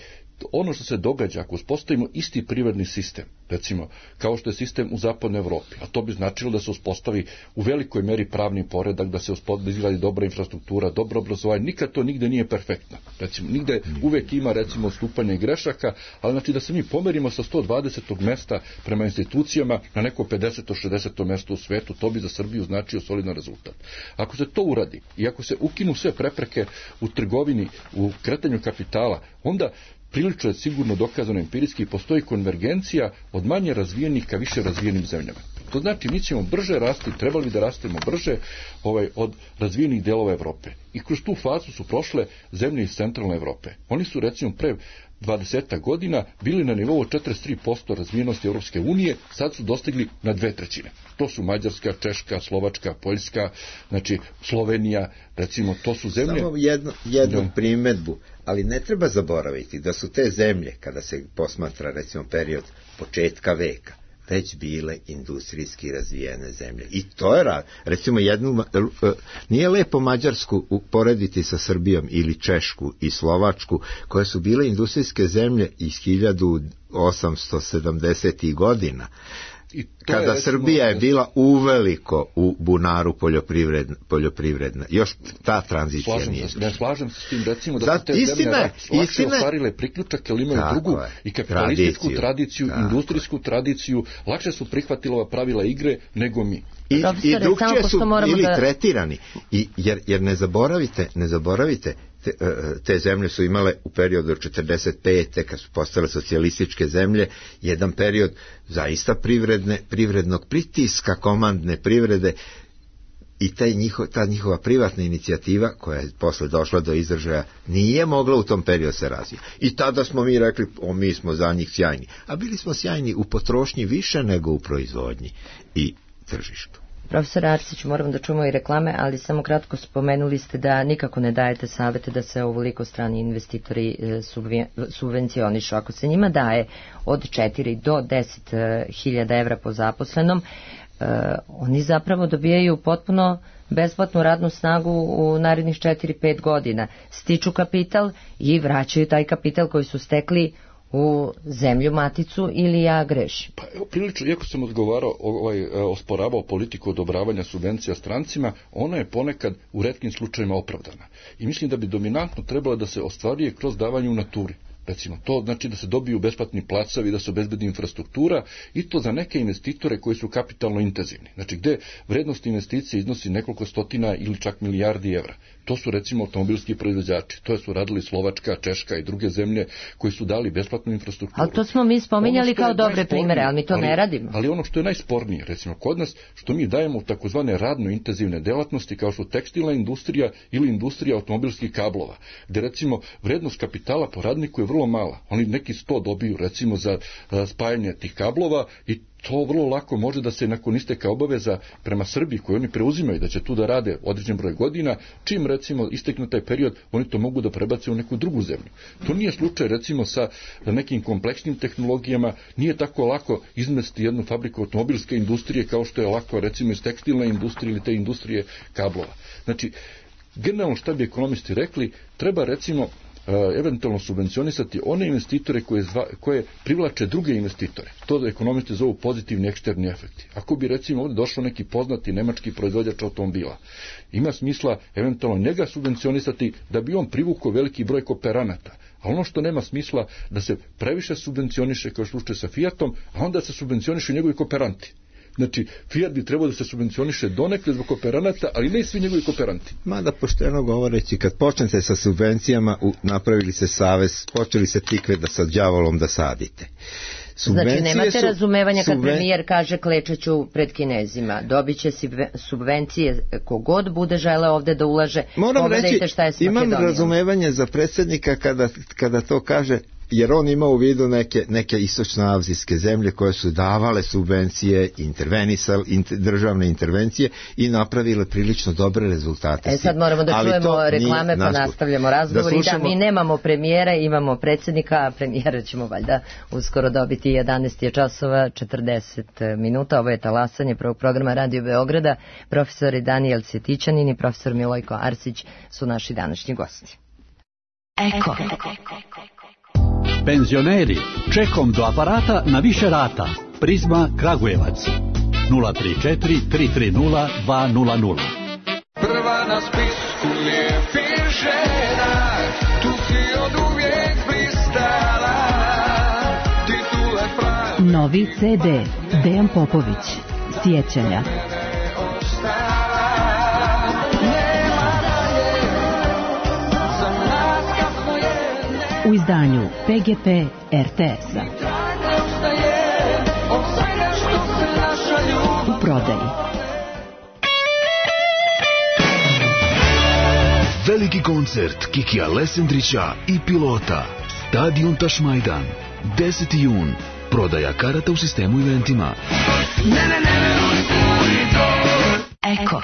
[SPEAKER 5] ono što se događa ako uspostavimo isti privredni sistem, recimo kao što je sistem u zapadnoj Evropi, a to bi značilo da se uspostavi u velikoj meri pravni poredak, da se izgradi dobra infrastruktura, dobro obrazovanje, nikad to nigde nije perfektno. Recimo, nigde uvek ima recimo odstupanja i grešaka, ali znači da se mi pomerimo sa sto dvadesetog mesta prema institucijama na neko pedeseto šezdeseto mesto u svetu, to bi za Srbiju značio solidan rezultat. Ako se to uradi i ako se ukinu sve prepreke u trgovini, u kretanju kapitala, onda prilično je sigurno dokazano empirijski, postoji konvergencija od manje razvijenih ka više razvijenim zemljama. To znači mi ćemo brže rasti, trebali bi da rastemo brže ovaj, od razvijenih delova Evrope. I kroz tu fazu su prošle zemlje iz centralne Evrope. Oni su recimo pre dvadeset godina bili na nivou četrdeset tri posto razvijenosti Europske unije, sad su dostigli na dve trećine. To su Mađarska, Češka, Slovačka, Poljska, znači Slovenija, recimo to su zemlje.
[SPEAKER 3] Samo jednu, jednu primedbu, ali ne treba zaboraviti da su te zemlje, kada se posmatra recimo period početka veka, već bile industrijski razvijene zemlje. I to je rad. Recimo jednu, nije lepo Mađarsku uporediti sa Srbijom ili Češku i Slovačku, koje su bile industrijske zemlje iz hiljadu osamsto sedamdesetih godina. I kada je, recimo, Srbija je bila uveliko u bunaru poljoprivredna, poljoprivredna. Još ta tranzicija
[SPEAKER 5] slažem
[SPEAKER 3] nije.
[SPEAKER 5] Se, ne slažem se s tim, recimo da
[SPEAKER 3] Zat,
[SPEAKER 5] su te
[SPEAKER 3] istine,
[SPEAKER 5] zemlje lakše ostvarile priključak, jer imaju
[SPEAKER 3] tako
[SPEAKER 5] drugu
[SPEAKER 3] je,
[SPEAKER 5] i kapitalističku
[SPEAKER 3] tradiciju,
[SPEAKER 5] tradiciju,
[SPEAKER 3] tako
[SPEAKER 5] industrijsku tradiciju, lakše su prihvatili ova pravila igre nego mi.
[SPEAKER 3] I, i drugčije su bili
[SPEAKER 2] da...
[SPEAKER 3] tretirani. I, jer, jer ne zaboravite, ne zaboravite, te, te zemlje su imale u periodu od četrdeset pete kad su postale socijalističke zemlje, jedan period zaista privredne, privrednog pritiska, komandne privrede, i taj njiho, ta njihova privatna inicijativa koja je posle došla do izražaja nije mogla u tom periodu se razvija. I tada smo mi rekli, o, mi smo za njih sjajni. A bili smo sjajni u potrošnji više nego u proizvodnji i tržištu.
[SPEAKER 2] Profesor Arsić, moram da čujemo i reklame, ali samo kratko spomenuli ste da nikako ne dajete savete da se ovoliko strani investitori subvencionišu. Ako se njima daje od četiri do deset hiljada evra po zaposlenom, Uh, oni zapravo dobijaju potpuno besplatnu radnu snagu u narednih četiri pet godina. Stiču kapital i vraćaju taj kapital koji su stekli u zemlju maticu, ili ja grešim?
[SPEAKER 5] Pa evo, prilično, iako sam odgovarao, ovaj, osporavao politiku odobravanja subvencija strancima, ona je ponekad u retkim slučajima opravdana. I mislim da bi dominantno trebalo da se ostvaruje kroz davanje u naturi. Recimo, to znači da se dobiju besplatni placovi, da se obezbedi infrastruktura, i to za neke investitore koji su kapitalno intenzivni. Znači, gde vrednost investicije iznosi nekoliko stotina ili čak milijardi evra. To su recimo automobilski proizvođači. To su radili Slovačka, Češka i druge zemlje koji su dali besplatnu infrastrukturu.
[SPEAKER 2] Ali to smo mi spominjali kao dobre primere, ali mi to
[SPEAKER 5] ali,
[SPEAKER 2] ne radimo.
[SPEAKER 5] Ali ono što je najspornije, recimo kod nas, što mi dajemo u takozvane radno intenzivne delatnosti, kao što tekstilna industrija ili industrija automobilskih kablova, gde recimo vrednost kapitala po radniku je vrlo mala. Oni neki sto dobiju recimo za spajanje tih kablova i to vrlo lako može da se nakon isteka obaveza prema Srbiji koju oni preuzimaju da će tu da rade određen broj godina, čim recimo istekne taj period, oni to mogu da prebace u neku drugu zemlju. To nije slučaj recimo sa nekim kompleksnim tehnologijama, nije tako lako izmesti jednu fabriku automobilske industrije kao što je lako recimo iz tekstilne industrije ili te industrije kablova. Znači, generalno šta bi ekonomisti rekli, treba recimo eventualno subvencionisati one investitore koje, zva, koje privlače druge investitore. To da ekonomisti zovu pozitivni eksterni efekti. Ako bi recimo ovdje došao neki poznati nemački proizvođač automobila, ima smisla eventualno njega subvencionisati da bi on privukao veliki broj kooperanata. A ono što nema smisla da se previše subvencioniše kao slučaj sa Fiatom, a onda se subvencioniše njegovi kooperanti. Znači, Fiat bi trebao da se subvencioniše donekle zbog kooperanata, ali ne i svi njegovi kooperanti.
[SPEAKER 3] Mada pošteno govoreći, kad počnete sa subvencijama, u, napravili se savez, počeli se tikve da sa đavolom da sadite.
[SPEAKER 2] Subvencije znači, nemate
[SPEAKER 3] su,
[SPEAKER 2] razumevanja kad
[SPEAKER 3] subven...
[SPEAKER 2] premijer kaže klečeću pred Kinezima. Dobit će subvencije kogod bude žele ovde da ulaže.
[SPEAKER 3] Moram
[SPEAKER 2] Pogledajte
[SPEAKER 3] reći,
[SPEAKER 2] šta je s
[SPEAKER 3] imam
[SPEAKER 2] Makedonijom.
[SPEAKER 3] razumevanje za predsjednika kada, kada to kaže, jer on ima u vidu neke, neke istočnoazijske zemlje koje su davale subvencije, intervenisale, inter, državne intervencije i napravile prilično dobre rezultate.
[SPEAKER 2] E sad moramo da
[SPEAKER 3] ali
[SPEAKER 2] čujemo reklame pa
[SPEAKER 3] naš...
[SPEAKER 2] nastavljamo razgovor. Da slušamo... I da mi nemamo premijera, imamo predsjednika, a premijera ćemo valjda uskoro dobiti. Jedanaest je časova, četrdeset minuta. Ovo je talasanje prvog programa Radio Beograda. Profesori Danijel Cvjetićanin i profesor Milojko Arsić su naši današnji gosti.
[SPEAKER 6] Eko. Penzioneri, čekom do aparata na više rata. Prizma Kragujevac. nula tri četiri tri tri nula dva nula nula.
[SPEAKER 7] Prva na spisku lijepih žena, tu si od uvijek blistala. Titule pravi.
[SPEAKER 8] Novi ce de Dejan Popović. Sjećanja. U izdanju pe ge pe er te es-a. U prodaji.
[SPEAKER 9] Veliki koncert Kikija Lesendrića i Pilota. Stadion Tašmajdan. deseti jun. Prodaja karata u sistemu eventima.
[SPEAKER 8] Eko.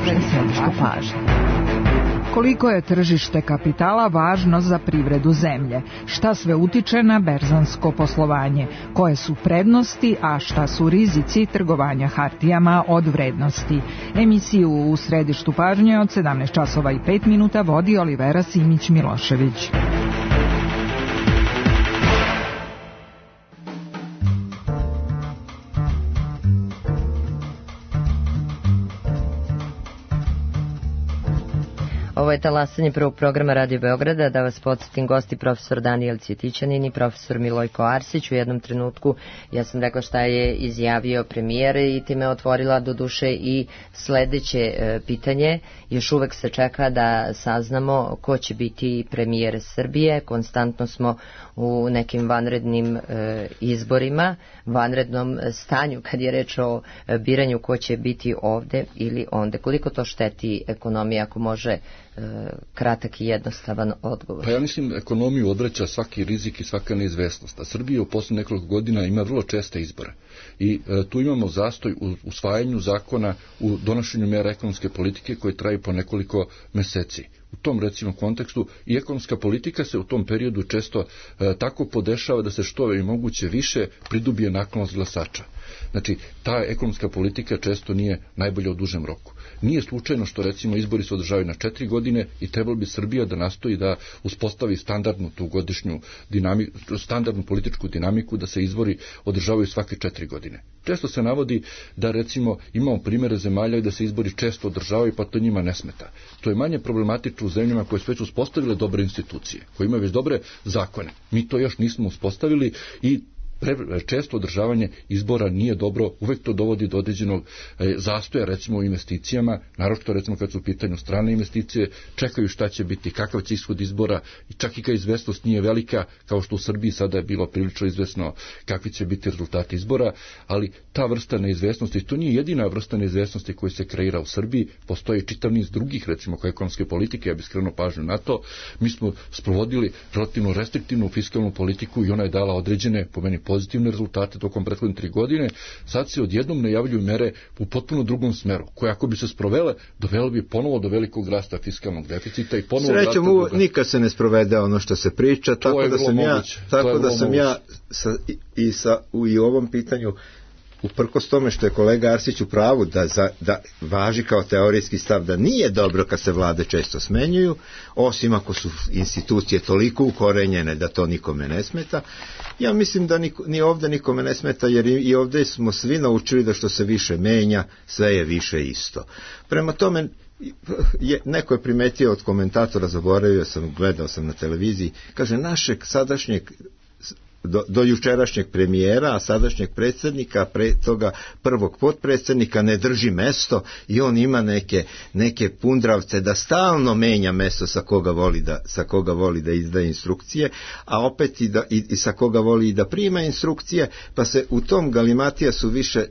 [SPEAKER 8] Središnju pažnju. Koliko je tržište kapitala važno za privredu zemlje? Šta sve utiče na berzansko poslovanje? Koje su prednosti, a šta su rizici trgovanja hartijama od vrednosti? Emisiju u središtu pažnje od sedamnaest časova i pet minuta vodi Olivera Simić-Milošević.
[SPEAKER 2] Ovo je talasanje prvog programa Radio Beograda. Da vas podsjetim, gosti profesor Danijel Cvjetićanin i profesor Milojko Arsić. U jednom trenutku ja sam rekla šta je izjavio premijer i time otvorila do duše i sledeće e, pitanje. Još uvek se čeka da saznamo ko će biti premijer Srbije. Konstantno smo u nekim vanrednim e, izborima, vanrednom stanju kad je reč o e, biranju ko će biti ovde ili onde. Koliko to šteti ekonomija, ako može kratak i jednostavan odgovor?
[SPEAKER 5] Pa ja mislim ekonomiju odvraća svaki rizik i svaka neizvesnost. A Srbija u posljednjih nekoliko godina ima vrlo česte izbore. I e, tu imamo zastoj u usvajanju zakona, u donošenju mjera ekonomske politike koje traju po nekoliko meseci. U tom recimo kontekstu i ekonomska politika se u tom periodu često e, tako podešava da se što je moguće više pridobije naklonost glasača. Znači, ta ekonomska politika često nije najbolja u dužem roku. Nije slučajno što recimo izbori se održavaju na četiri godine i trebalo bi Srbija da nastoji da uspostavi standardnu tu godišnju dinamiku, standardnu političku dinamiku, da se izbori održavaju svake četiri godine. Često se navodi da recimo imamo primjere zemalja i da se izbori često održavaju pa to njima ne smeta. To je manje problematično u zemljama koje su već uspostavile dobre institucije, koje imaju već dobre zakone. Mi to još nismo uspostavili i pre, često održavanje izbora nije dobro, uvek to dovodi do određenog e, zastoja, recimo u investicijama, naročito recimo kad su u pitanju strane investicije, čekaju šta će biti, kakav će ishod izbora, i čak i kad izvesnost nije velika, kao što u Srbiji sada je bilo prilično izvesno kakvi će biti rezultati izbora, ali ta vrsta neizvesnosti, to nije jedina vrsta neizvesnosti koja se kreira u Srbiji, postoji čitav niz drugih, recimo kao ekonomske politike, ja bih skrenuo pažnju na to. Mi smo sprovodili relativno restriktivnu fiskalnu politiku i ona je dala određene, po meni, pozitivne rezultate tokom prethodne tri godine. Sad se odjednom najavljuju mere u potpuno drugom smeru, koje ako bi se sprovele, dovelo bi ponovo do velikog rasta fiskalnog deficita i ponovo
[SPEAKER 3] srećom u, nikad se ne sprovede ono što se priča,
[SPEAKER 5] to
[SPEAKER 3] tako da sam ja, tako da sam
[SPEAKER 5] moguće.
[SPEAKER 3] ja sa, i, i sa u i ovom pitanju, uprkos tome što je kolega Arsić u pravu da, za, da važi kao teorijski stav da nije dobro kad se vlade često smenjuju, osim ako su institucije toliko ukorenjene da to nikome ne smeta. Ja mislim da niko, ni ovde nikome ne smeta, jer i, i ovde smo svi naučili da što se više menja, sve je više isto. Prema tome, je, neko je primetio od komentatora, zaboravio sam, gledao sam na televiziji, kaže, našeg sadašnjeg Do, do jučerašnjeg premijera, a sadašnjeg predsjednika, pre toga prvog potpredsjednika ne drži mesto i on ima neke, neke pundravce da stalno menja mesto sa koga voli da, sa koga voli da izdaje instrukcije, a opet i, da, i, i sa koga voli i da prima instrukcije, pa se u tom galimatija su više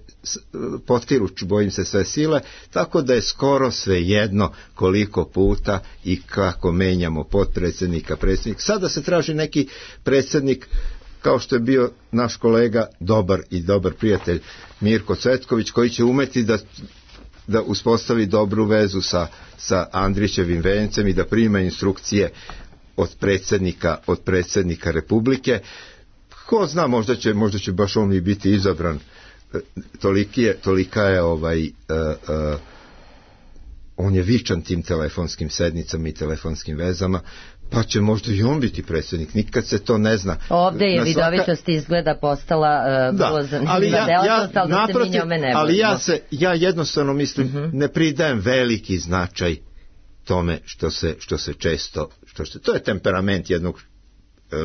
[SPEAKER 3] potkiru, bojim se, sve sile, tako da je skoro sve jedno koliko puta i kako menjamo potpredsjednika, predsjednik. Sada se traži neki predsjednik kao što je bio naš kolega, dobar i dobar prijatelj Mirko Cvetković, koji će umeti da, da uspostavi dobru vezu sa, sa Andrićevim vencem i da prima instrukcije od predsjednika, od predsjednika Republike. Ko zna, možda će, možda će baš on i biti izabran. Toliki je, tolika je ovaj... Uh, uh, on je vičan tim telefonskim sednicama i telefonskim vezama, pa će možda i on biti predsjednik, nikad se to ne zna.
[SPEAKER 2] Ovde je
[SPEAKER 3] na svaka...
[SPEAKER 2] vidovitost izgleda postala uh,
[SPEAKER 3] da,
[SPEAKER 2] vrlo zanimljiva
[SPEAKER 3] ali ja,
[SPEAKER 2] delatnost,
[SPEAKER 3] ja,
[SPEAKER 2] ali da se mi njome ne
[SPEAKER 3] ali ja,
[SPEAKER 2] vodimo.
[SPEAKER 3] se, ja jednostavno mislim,
[SPEAKER 2] uh-huh.
[SPEAKER 3] ne pridajem veliki značaj tome što se, što se često, što se, to je temperament jednog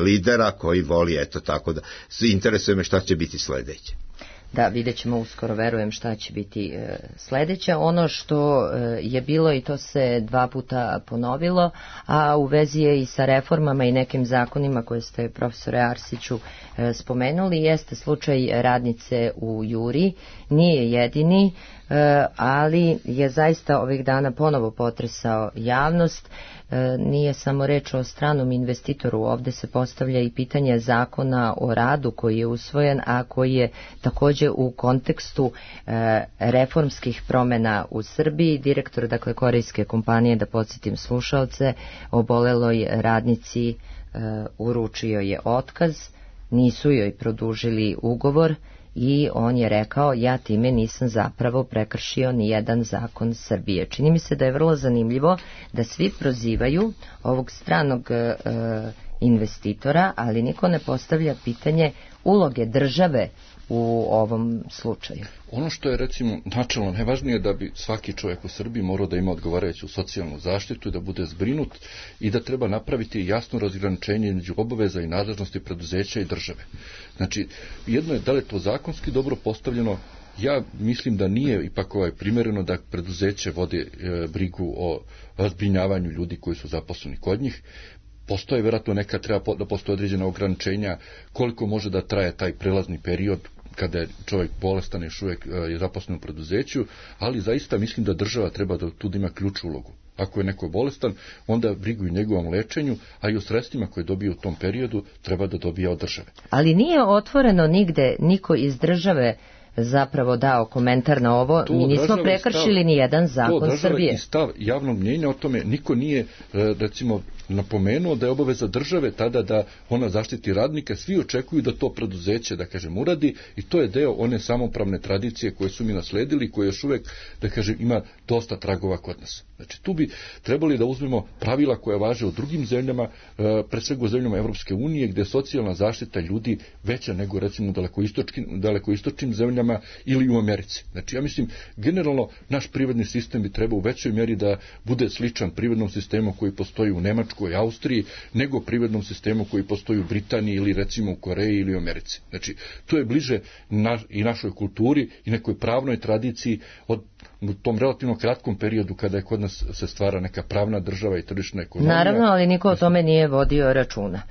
[SPEAKER 3] lidera koji voli, eto tako da, interesuje me šta će biti sledeće.
[SPEAKER 2] Da, vidjet ćemo uskoro, verujem, šta će biti e, sledeće. Ono što e, je bilo, i to se dva puta ponovilo, a u vezi je i sa reformama i nekim zakonima koje ste, profesore Arsiću, e, spomenuli, jeste slučaj radnice u Juri. Nije jedini, e, ali je zaista ovih dana ponovo potresao javnost. E, nije samo reč o stranom investitoru, ovde se postavlja i pitanje zakona o radu koji je usvojen, a koji je takođe u kontekstu e, reformskih promena u Srbiji. Direktor, dakle, korejske kompanije, da podsjetim slušalce, oboleloj radnici e, uručio je otkaz, nisu joj produžili ugovor i on je rekao, ja time nisam zapravo prekršio ni jedan zakon Srbije. Čini mi se da je vrlo zanimljivo da svi prozivaju ovog stranog e, investitora, ali niko ne postavlja pitanje uloge države u ovom slučaju.
[SPEAKER 5] Ono što je, recimo, načelno najvažnije je da bi svaki čovjek u Srbiji morao da ima odgovarajuću socijalnu zaštitu i da bude zbrinut i da treba napraviti jasno razgraničenje između obaveza i nadležnosti preduzeća i države. Znači, jedno je da li je to zakonski dobro postavljeno. Ja mislim da nije ipak ovaj primjereno da preduzeće vode e, brigu o zbrinjavanju ljudi koji su zaposleni kod njih. Postoje vjerojatno neka treba da postoje određena ograničenja koliko može da traje taj prelazni period kada je čovjek bolestan, još uvijek je zaposlen u preduzeću, ali zaista mislim da država treba da tu ima ključnu ulogu. Ako je neko bolestan, onda brigu i njegovom lečenju, a i o sredstvima koje dobije u tom periodu treba da dobija od države.
[SPEAKER 2] Ali nije otvoreno nigde niko iz države zapravo dao komentar na ovo, to mi nismo prekršili ni jedan zakon Srbije.
[SPEAKER 5] To i stav javnog mnjenja o tome, niko nije, recimo, napomenuo da je obaveza države tada da ona zaštiti radnika, svi očekuju da to preduzeće, da kažem, uradi, i to je deo one samopravne tradicije koje su mi nasledili, koje još uvek, da kažem, ima dosta tragova kod nas. Znači, tu bi trebali da uzmemo pravila koja važe u drugim zemljama, pre svega u zemljama Evropske unije, gde je socijalna zaštita ljudi veća nego, recimo, daleko dalekoistočnim zemljama ili u Americi. Znači, ja mislim, generalno, naš privredni sistem bi trebao u većoj mjeri da bude sličan privrednom sistemu koji postoji u Nemačkoj, Njemačkoj, Austriji, nego privrednom sistemu koji postoji u Britaniji ili recimo u Koreji ili u Americi. Znači, to je bliže na, i našoj kulturi i nekoj pravnoj tradiciji od u tom relativno kratkom periodu kada je kod nas se stvara neka pravna država i tržišna ekonomija.
[SPEAKER 2] Naravno, ali niko o tome nije vodio računa.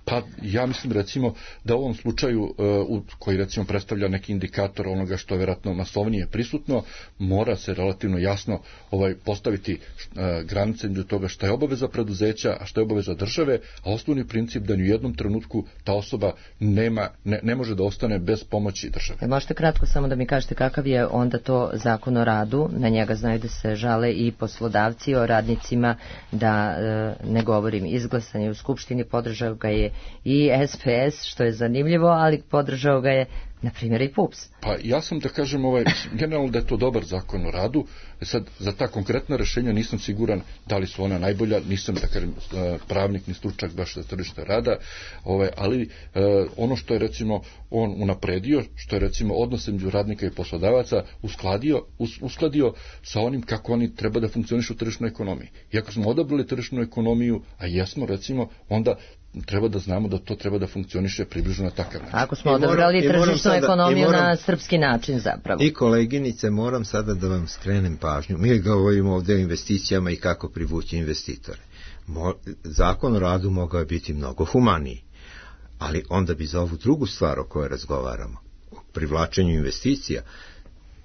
[SPEAKER 5] Pa ja mislim recimo da u ovom slučaju uh, koji recimo predstavlja neki indikator onoga što je vjerojatno masovnije prisutno, mora se relativno jasno ovaj postaviti uh, granice između toga šta je obaveza preduzeća, a šta je obaveza države, a osnovni princip da ni u jednom trenutku ta osoba nema, ne, ne može da ostane bez pomoći države.
[SPEAKER 2] E, možete kratko samo da mi kažete kakav je onda to zakon o radu, na njega znaju da se žale i poslodavci, o radnicima da uh, ne govorim izglasan je u Skupštini, podržao ga je i S P S, što je zanimljivo, ali podržao ga je na primjer i P U P S.
[SPEAKER 5] Pa ja sam da kažem ovaj, generalno da je to dobar zakon o radu. E sad, za ta konkretna rješenja nisam siguran da li su ona najbolja, nisam da kažem pravnik ni stručnjak baš za tržište rada, ovaj, ali eh, ono što je recimo on unapredio, što je recimo odnos između radnika i poslodavaca uskladio, us, uskladio sa onim kako oni treba da funkcionišu u tržišnoj ekonomiji. I ako smo odabrali tržišnu ekonomiju, a jesmo recimo, onda treba da znamo da to treba da funkcioniše približno na takav način.
[SPEAKER 2] Ako smo odabrali tržišnu ekonomiju moram, na srpski način zapravo.
[SPEAKER 3] I koleginice, moram sada da vam skrenem pažnju. Mi govorimo ovdje o investicijama i kako privući investitore. Mo, zakon o radu mogao je biti mnogo humaniji, ali onda bi za ovu drugu stvar o kojoj razgovaramo, o privlačenju investicija,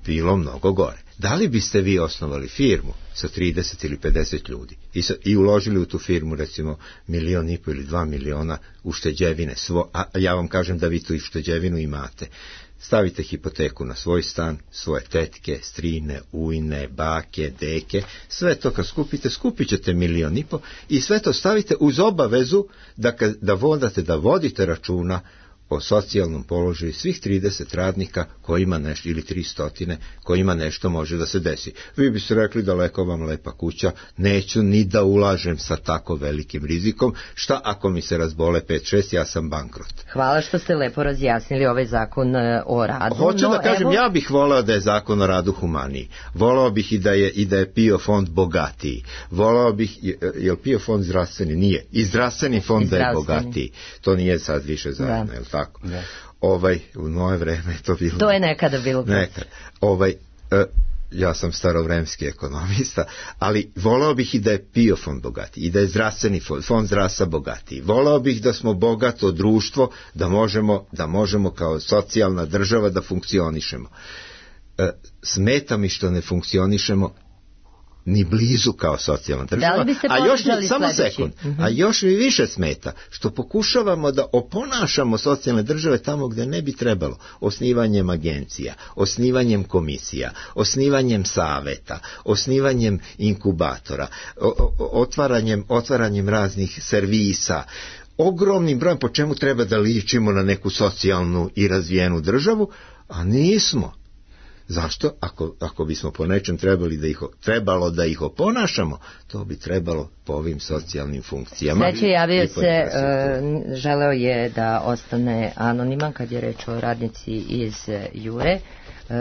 [SPEAKER 3] bilo mnogo gore. Da li biste vi osnovali firmu sa trideset ili pedeset ljudi i, sa, i uložili u tu firmu recimo milion i po ili dva miliona ušteđevine, svo, a ja vam kažem da vi tu ušteđevinu imate, stavite hipoteku na svoj stan, svoje tetke, strine, ujne, bake, deke, sve to kad skupite, skupit ćete milion i po i sve to stavite uz obavezu da, da vodate, da vodite računa o socijalnom položaju svih trideset radnika koji ima nešto, ili tristo koji ima nešto može da se desi. Vi biste rekli daleko vam lepa kuća, neću ni da ulažem sa tako velikim rizikom, šta ako mi se razbole pet šest, ja sam bankrot.
[SPEAKER 2] Hvala što ste lepo razjasnili ovaj zakon o radu.
[SPEAKER 3] Hoću
[SPEAKER 2] no,
[SPEAKER 3] da kažem,
[SPEAKER 2] evo...
[SPEAKER 3] ja bih voleo da je zakon o radu humaniji. Voleo bih i da je, i da je P I O fond bogatiji. Voleo bih, je li P I O fond zdravstveni? Nije. I zdravstveni fond da je bogatiji. To nije sad više zajedno, je li tako?
[SPEAKER 5] Da.
[SPEAKER 3] Ovaj, u moje vreme je to bilo...
[SPEAKER 2] To je nekada bilo.
[SPEAKER 3] Nekad. Ovaj, e, ja sam starovremski ekonomista, ali voleo bih i da je P I O fond bogatiji, i da je zdravstveni fond, fond zdravstva bogatiji. Voleo bih da smo bogato društvo, da možemo, da možemo kao socijalna država da funkcionišemo. E, smeta mi što ne funkcionišemo ni blizu kao socijalna država, a još mi, samo sekund, mm-hmm. a još mi više smeta što pokušavamo da oponašamo socijalne države tamo gdje ne bi trebalo, osnivanjem agencija, osnivanjem komisija, osnivanjem saveta, osnivanjem inkubatora, o, o, otvaranjem, otvaranjem raznih servisa, ogromnim brojem, po čemu treba da ličimo na neku socijalnu i razvijenu državu, a nismo. Zašto? Ako, ako bismo po nečem trebali da ih, trebalo da ih oponašamo, to bi trebalo po ovim socijalnim funkcijama.
[SPEAKER 2] Sledeće javio se, uh, želeo je da ostane anoniman kad je reč o radnici iz Jure. Uh,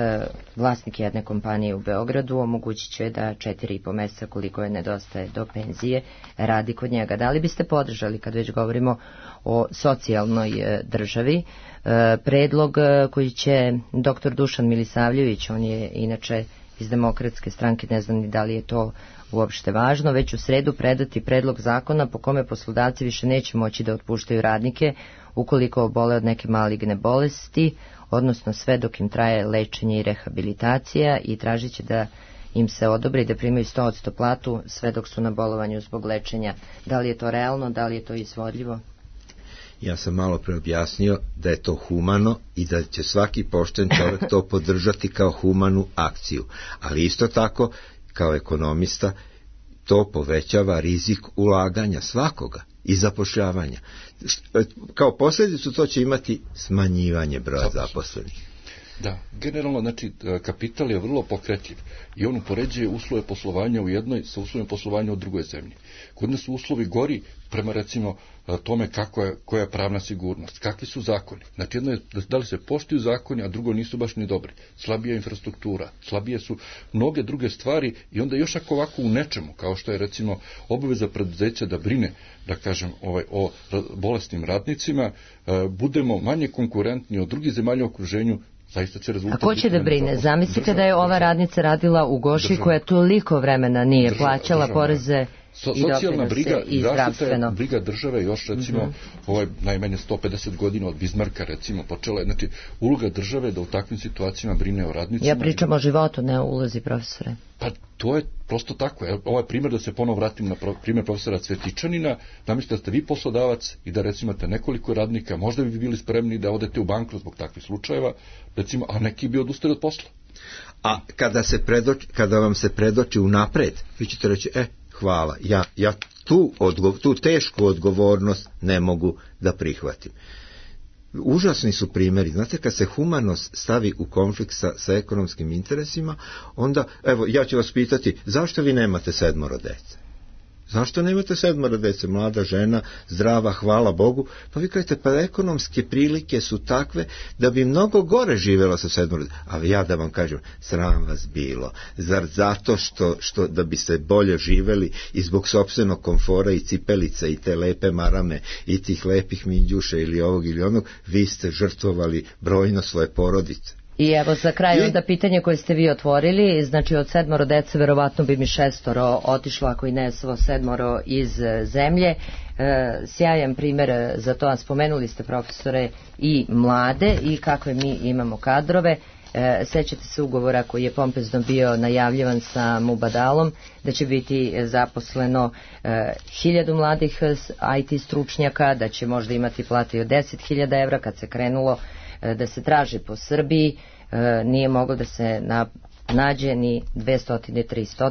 [SPEAKER 2] vlasnik jedne kompanije u Beogradu omogućit će da četiri i po meseca koliko je nedostaje do penzije radi kod njega. Da li biste podržali, kad već govorimo o socijalnoj uh, državi, uh, predlog uh, koji će doktor Dušan Milisavljević, on je inače iz Demokratske stranke, ne znam ni da li je to uopšte važno, već u sredu predati predlog zakona po kome poslodavci više neće moći da otpuštaju radnike ukoliko obole od neke maligne bolesti, odnosno sve dok im traje lečenje i rehabilitacija, i tražit će da im se odobri da primaju sto posto platu sve dok su na bolovanju zbog lečenja. Da li je to realno, da li je to izvodljivo?
[SPEAKER 3] Ja sam malo pre objasnio da je to humano i da će svaki pošten čovjek to podržati kao humanu akciju. Ali isto tako, kao ekonomista, to povećava rizik ulaganja svakoga i zapošljavanja. Kao posljedicu to će imati smanjivanje broja zaposlenih.
[SPEAKER 5] Da, generalno, znači, kapital je vrlo pokretljiv i on upoređuje uslove poslovanja u jednoj sa uslovima poslovanja u drugoj zemlji. Kod nas su uslovi gori prema, recimo, tome kako je, koja je pravna sigurnost, kakvi su zakoni. Znači, jedno je da li se poštuju zakoni, a drugo nisu baš ni dobri. Slabija infrastruktura, slabije su mnoge druge stvari i onda još ako ovako u nečemu, kao što je, recimo, obaveza preduzeća da brine, da kažem, ovaj, o bolesnim radnicima, budemo manje konkurentni od drugih zemalja u okruženju.
[SPEAKER 2] A ko će da brine? Zamislite da je ova radnica radila u Goši koja toliko vremena nije država, plaćala država, poreze
[SPEAKER 5] so,
[SPEAKER 2] i doprinose i zdravstveno.
[SPEAKER 5] Briga države još recimo mm-hmm. ovaj najmanje sto pedeset godina od Bizmarka recimo počela je, znači uloga države da u takvim situacijama brine o radnicima.
[SPEAKER 2] Ja pričam o životu, ne o ulozi, profesore.
[SPEAKER 5] Pa to je prosto tako. Ovaj primjer, da se ponovo vratim na primjer profesora Cvetičanina, zamislite da ste vi poslodavac i da recimo imate nekoliko radnika, možda bi bili spremni da odete u bankrot zbog takvih slučajeva, recimo, a neki bi odustali od posla.
[SPEAKER 3] A kada, se predoči, kada vam se predoči unapred, vi ćete reći, e, hvala, ja, ja tu, odgo, tu tešku odgovornost ne mogu da prihvatim. Užasni su primjeri. Znate, kad se humanost stavi u konflikt sa, sa ekonomskim interesima, onda, evo, ja ću vas pitati, zašto vi nemate sedmoro dece? Zašto nemate sedmoro dece? Mlada žena, zdrava, hvala Bogu. Pa vi kažete, pa ekonomske prilike su takve da bi mnogo gore živjela sa sedmoro dece. A ja da vam kažem, sram vas bilo. Zar zato što, što da biste bolje živjeli i zbog sopstvenog komfora i cipelica i te lepe marame i tih lepih minđuša ili ovog ili onog, vi ste žrtvovali brojno svoje porodice.
[SPEAKER 2] I evo za kraj onda pitanje koje ste vi otvorili, znači od sedmoro dece verovatno bi mi šestoro otišlo, ako i ne svo sedmoro iz zemlje. E, sjajan primjer za to, a spomenuli ste profesore i mlade i kakve mi imamo kadrove. E, sećate se ugovora koji je pompezno bio najavljivan sa Mubadalom, da će biti zaposleno e, hiljadu mladih I T stručnjaka, da će možda imati plate od deset hiljada evra. Kad se krenulo da se traži po Srbiji, nije moglo da se na, nađe ni dvesta, trista.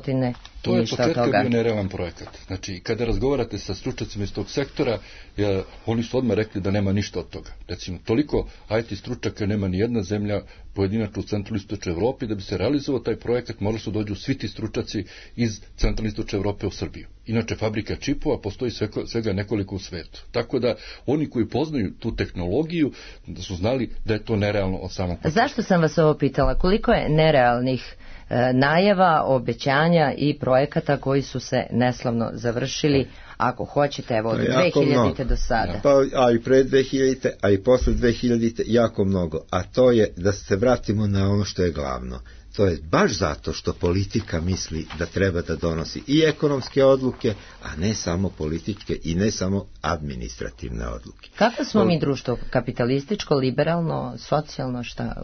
[SPEAKER 5] To je od početka bio nerealan projekat. Znači, kada razgovarate sa stručnjacima iz tog sektora, ja, oni su odmah rekli da nema ništa od toga. Recimo, toliko I T stručnjaka nema ni jedna zemlja pojedinačno u centralnoj istočnoj Evropi, da bi se realizovao taj projekat, morali su dođu svi ti stručnjaci iz centralne istočne Evrope u Srbiju. Inače, fabrika čipova postoji svega, svega nekoliko u svetu. Tako da, oni koji poznaju tu tehnologiju, da su znali da je to nerealno od samog početka.
[SPEAKER 2] Zašto sam vas ovo pitala? Koliko je nerealnih e, najava, obećanja i projekata koji su se neslavno završili, ako hoćete, evo od dve hiljadite do sada.
[SPEAKER 3] Pa, a i pre dve hiljadite, a i posle dve hiljadite jako mnogo. A to je da se vratimo na ono što je glavno. To je baš zato što politika misli da treba da donosi i ekonomske odluke, a ne samo političke i ne samo administrativne odluke.
[SPEAKER 2] Kako smo mi društvo? Kapitalističko, liberalno, socijalno, šta?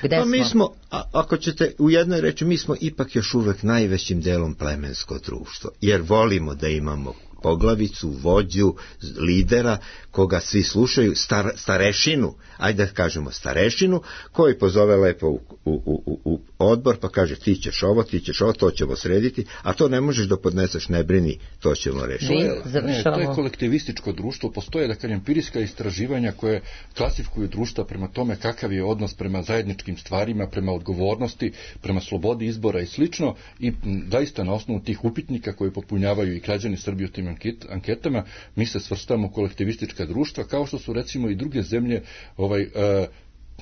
[SPEAKER 2] Gde
[SPEAKER 3] pa
[SPEAKER 2] smo?
[SPEAKER 3] Mi smo, a, ako ćete u jednoj reći, mi smo ipak još uvek najvećim delom plemensko društvo, jer volimo da imamo poglavicu, vođu, lidera, koga svi slušaju, star, starešinu, ajde da kažemo starešinu, koji pozove lepo u, u, u, u odbor, pa kaže ti ćeš ovo, ti ćeš ovo, to ćemo srediti, a to ne možeš da podneseš, ne brini, to ćemo rešiti.
[SPEAKER 5] To je, ne, to je kolektivističko društvo, postoje, da kažem, empirijska istraživanja koje klasifikuju društva prema tome kakav je odnos prema zajedničkim stvarima, prema odgovornosti, prema slobodi izbora i slično, i zaista na osnovu tih upitnika koje popunjavaju i građani Srbije u tim anketama, mi se svrstamo u kolektivistička društva, kao što su recimo i druge zemlje, ovaj, e,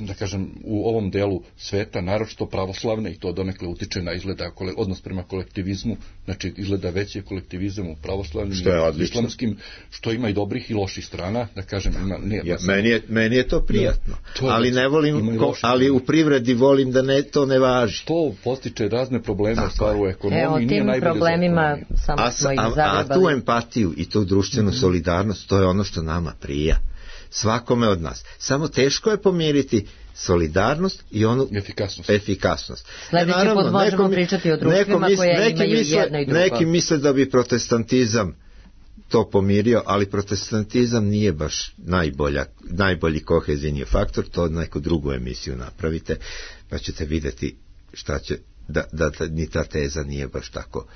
[SPEAKER 5] da kažem, u ovom delu sveta, naročito pravoslavne, i to donekle utiče na izgleda odnos prema kolektivizmu, znači izgleda veći kolektivizam u pravoslavnim i islamskim, što ima i dobrih i loših strana, da kažem, ima, nije,
[SPEAKER 3] ja, meni, je, meni je to prijatno, to ali ne volim, ko, ali u privredi volim da ne, to ne važi.
[SPEAKER 5] To postiče razne probleme u stvaru ekonomiji.
[SPEAKER 2] E, o tim problemima samo
[SPEAKER 3] a,
[SPEAKER 2] smo ih
[SPEAKER 3] a,
[SPEAKER 2] zagrebali.
[SPEAKER 3] A tu empatiju i tu društvenu mm-hmm. solidarnost, to je ono što nama prija. Svakome od nas. Samo teško je pomiriti solidarnost i onu
[SPEAKER 5] efikasnost.
[SPEAKER 3] efikasnost.
[SPEAKER 2] Sljedeći e, put možemo nekom, pričati o društvima misle, koje imaju
[SPEAKER 3] misle,
[SPEAKER 2] jedno i drugo.
[SPEAKER 3] Neki misle da bi protestantizam to pomirio, ali protestantizam nije baš najbolja, najbolji kohezijni faktor, to neku drugu emisiju napravite, pa ćete vidjeti šta će Da, da, da ni ta teza nije baš tako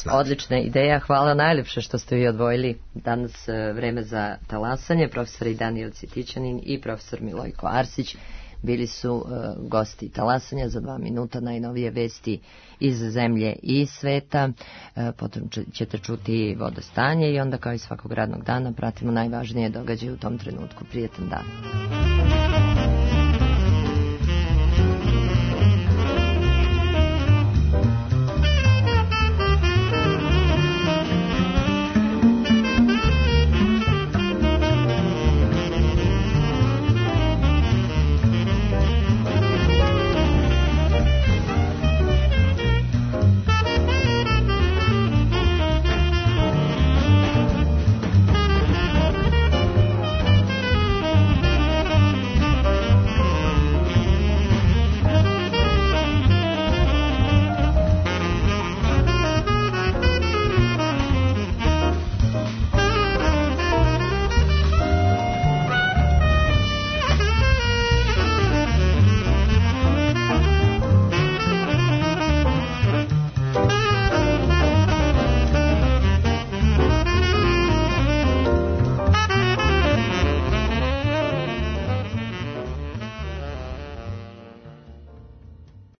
[SPEAKER 3] snažna.
[SPEAKER 2] Odlična ideja, hvala najljepše što ste vi odvojili danas vreme za talasanje, profesor Danijel Cvetičanin i profesor Milojko Arsić. bili su uh, gosti Talasanja. Za dva minuta najnovije vesti iz zemlje i sveta, uh, potom ćete čuti vodostanje i onda kao i svakog radnog dana pratimo najvažnije događaje u tom trenutku. Prijetan dan.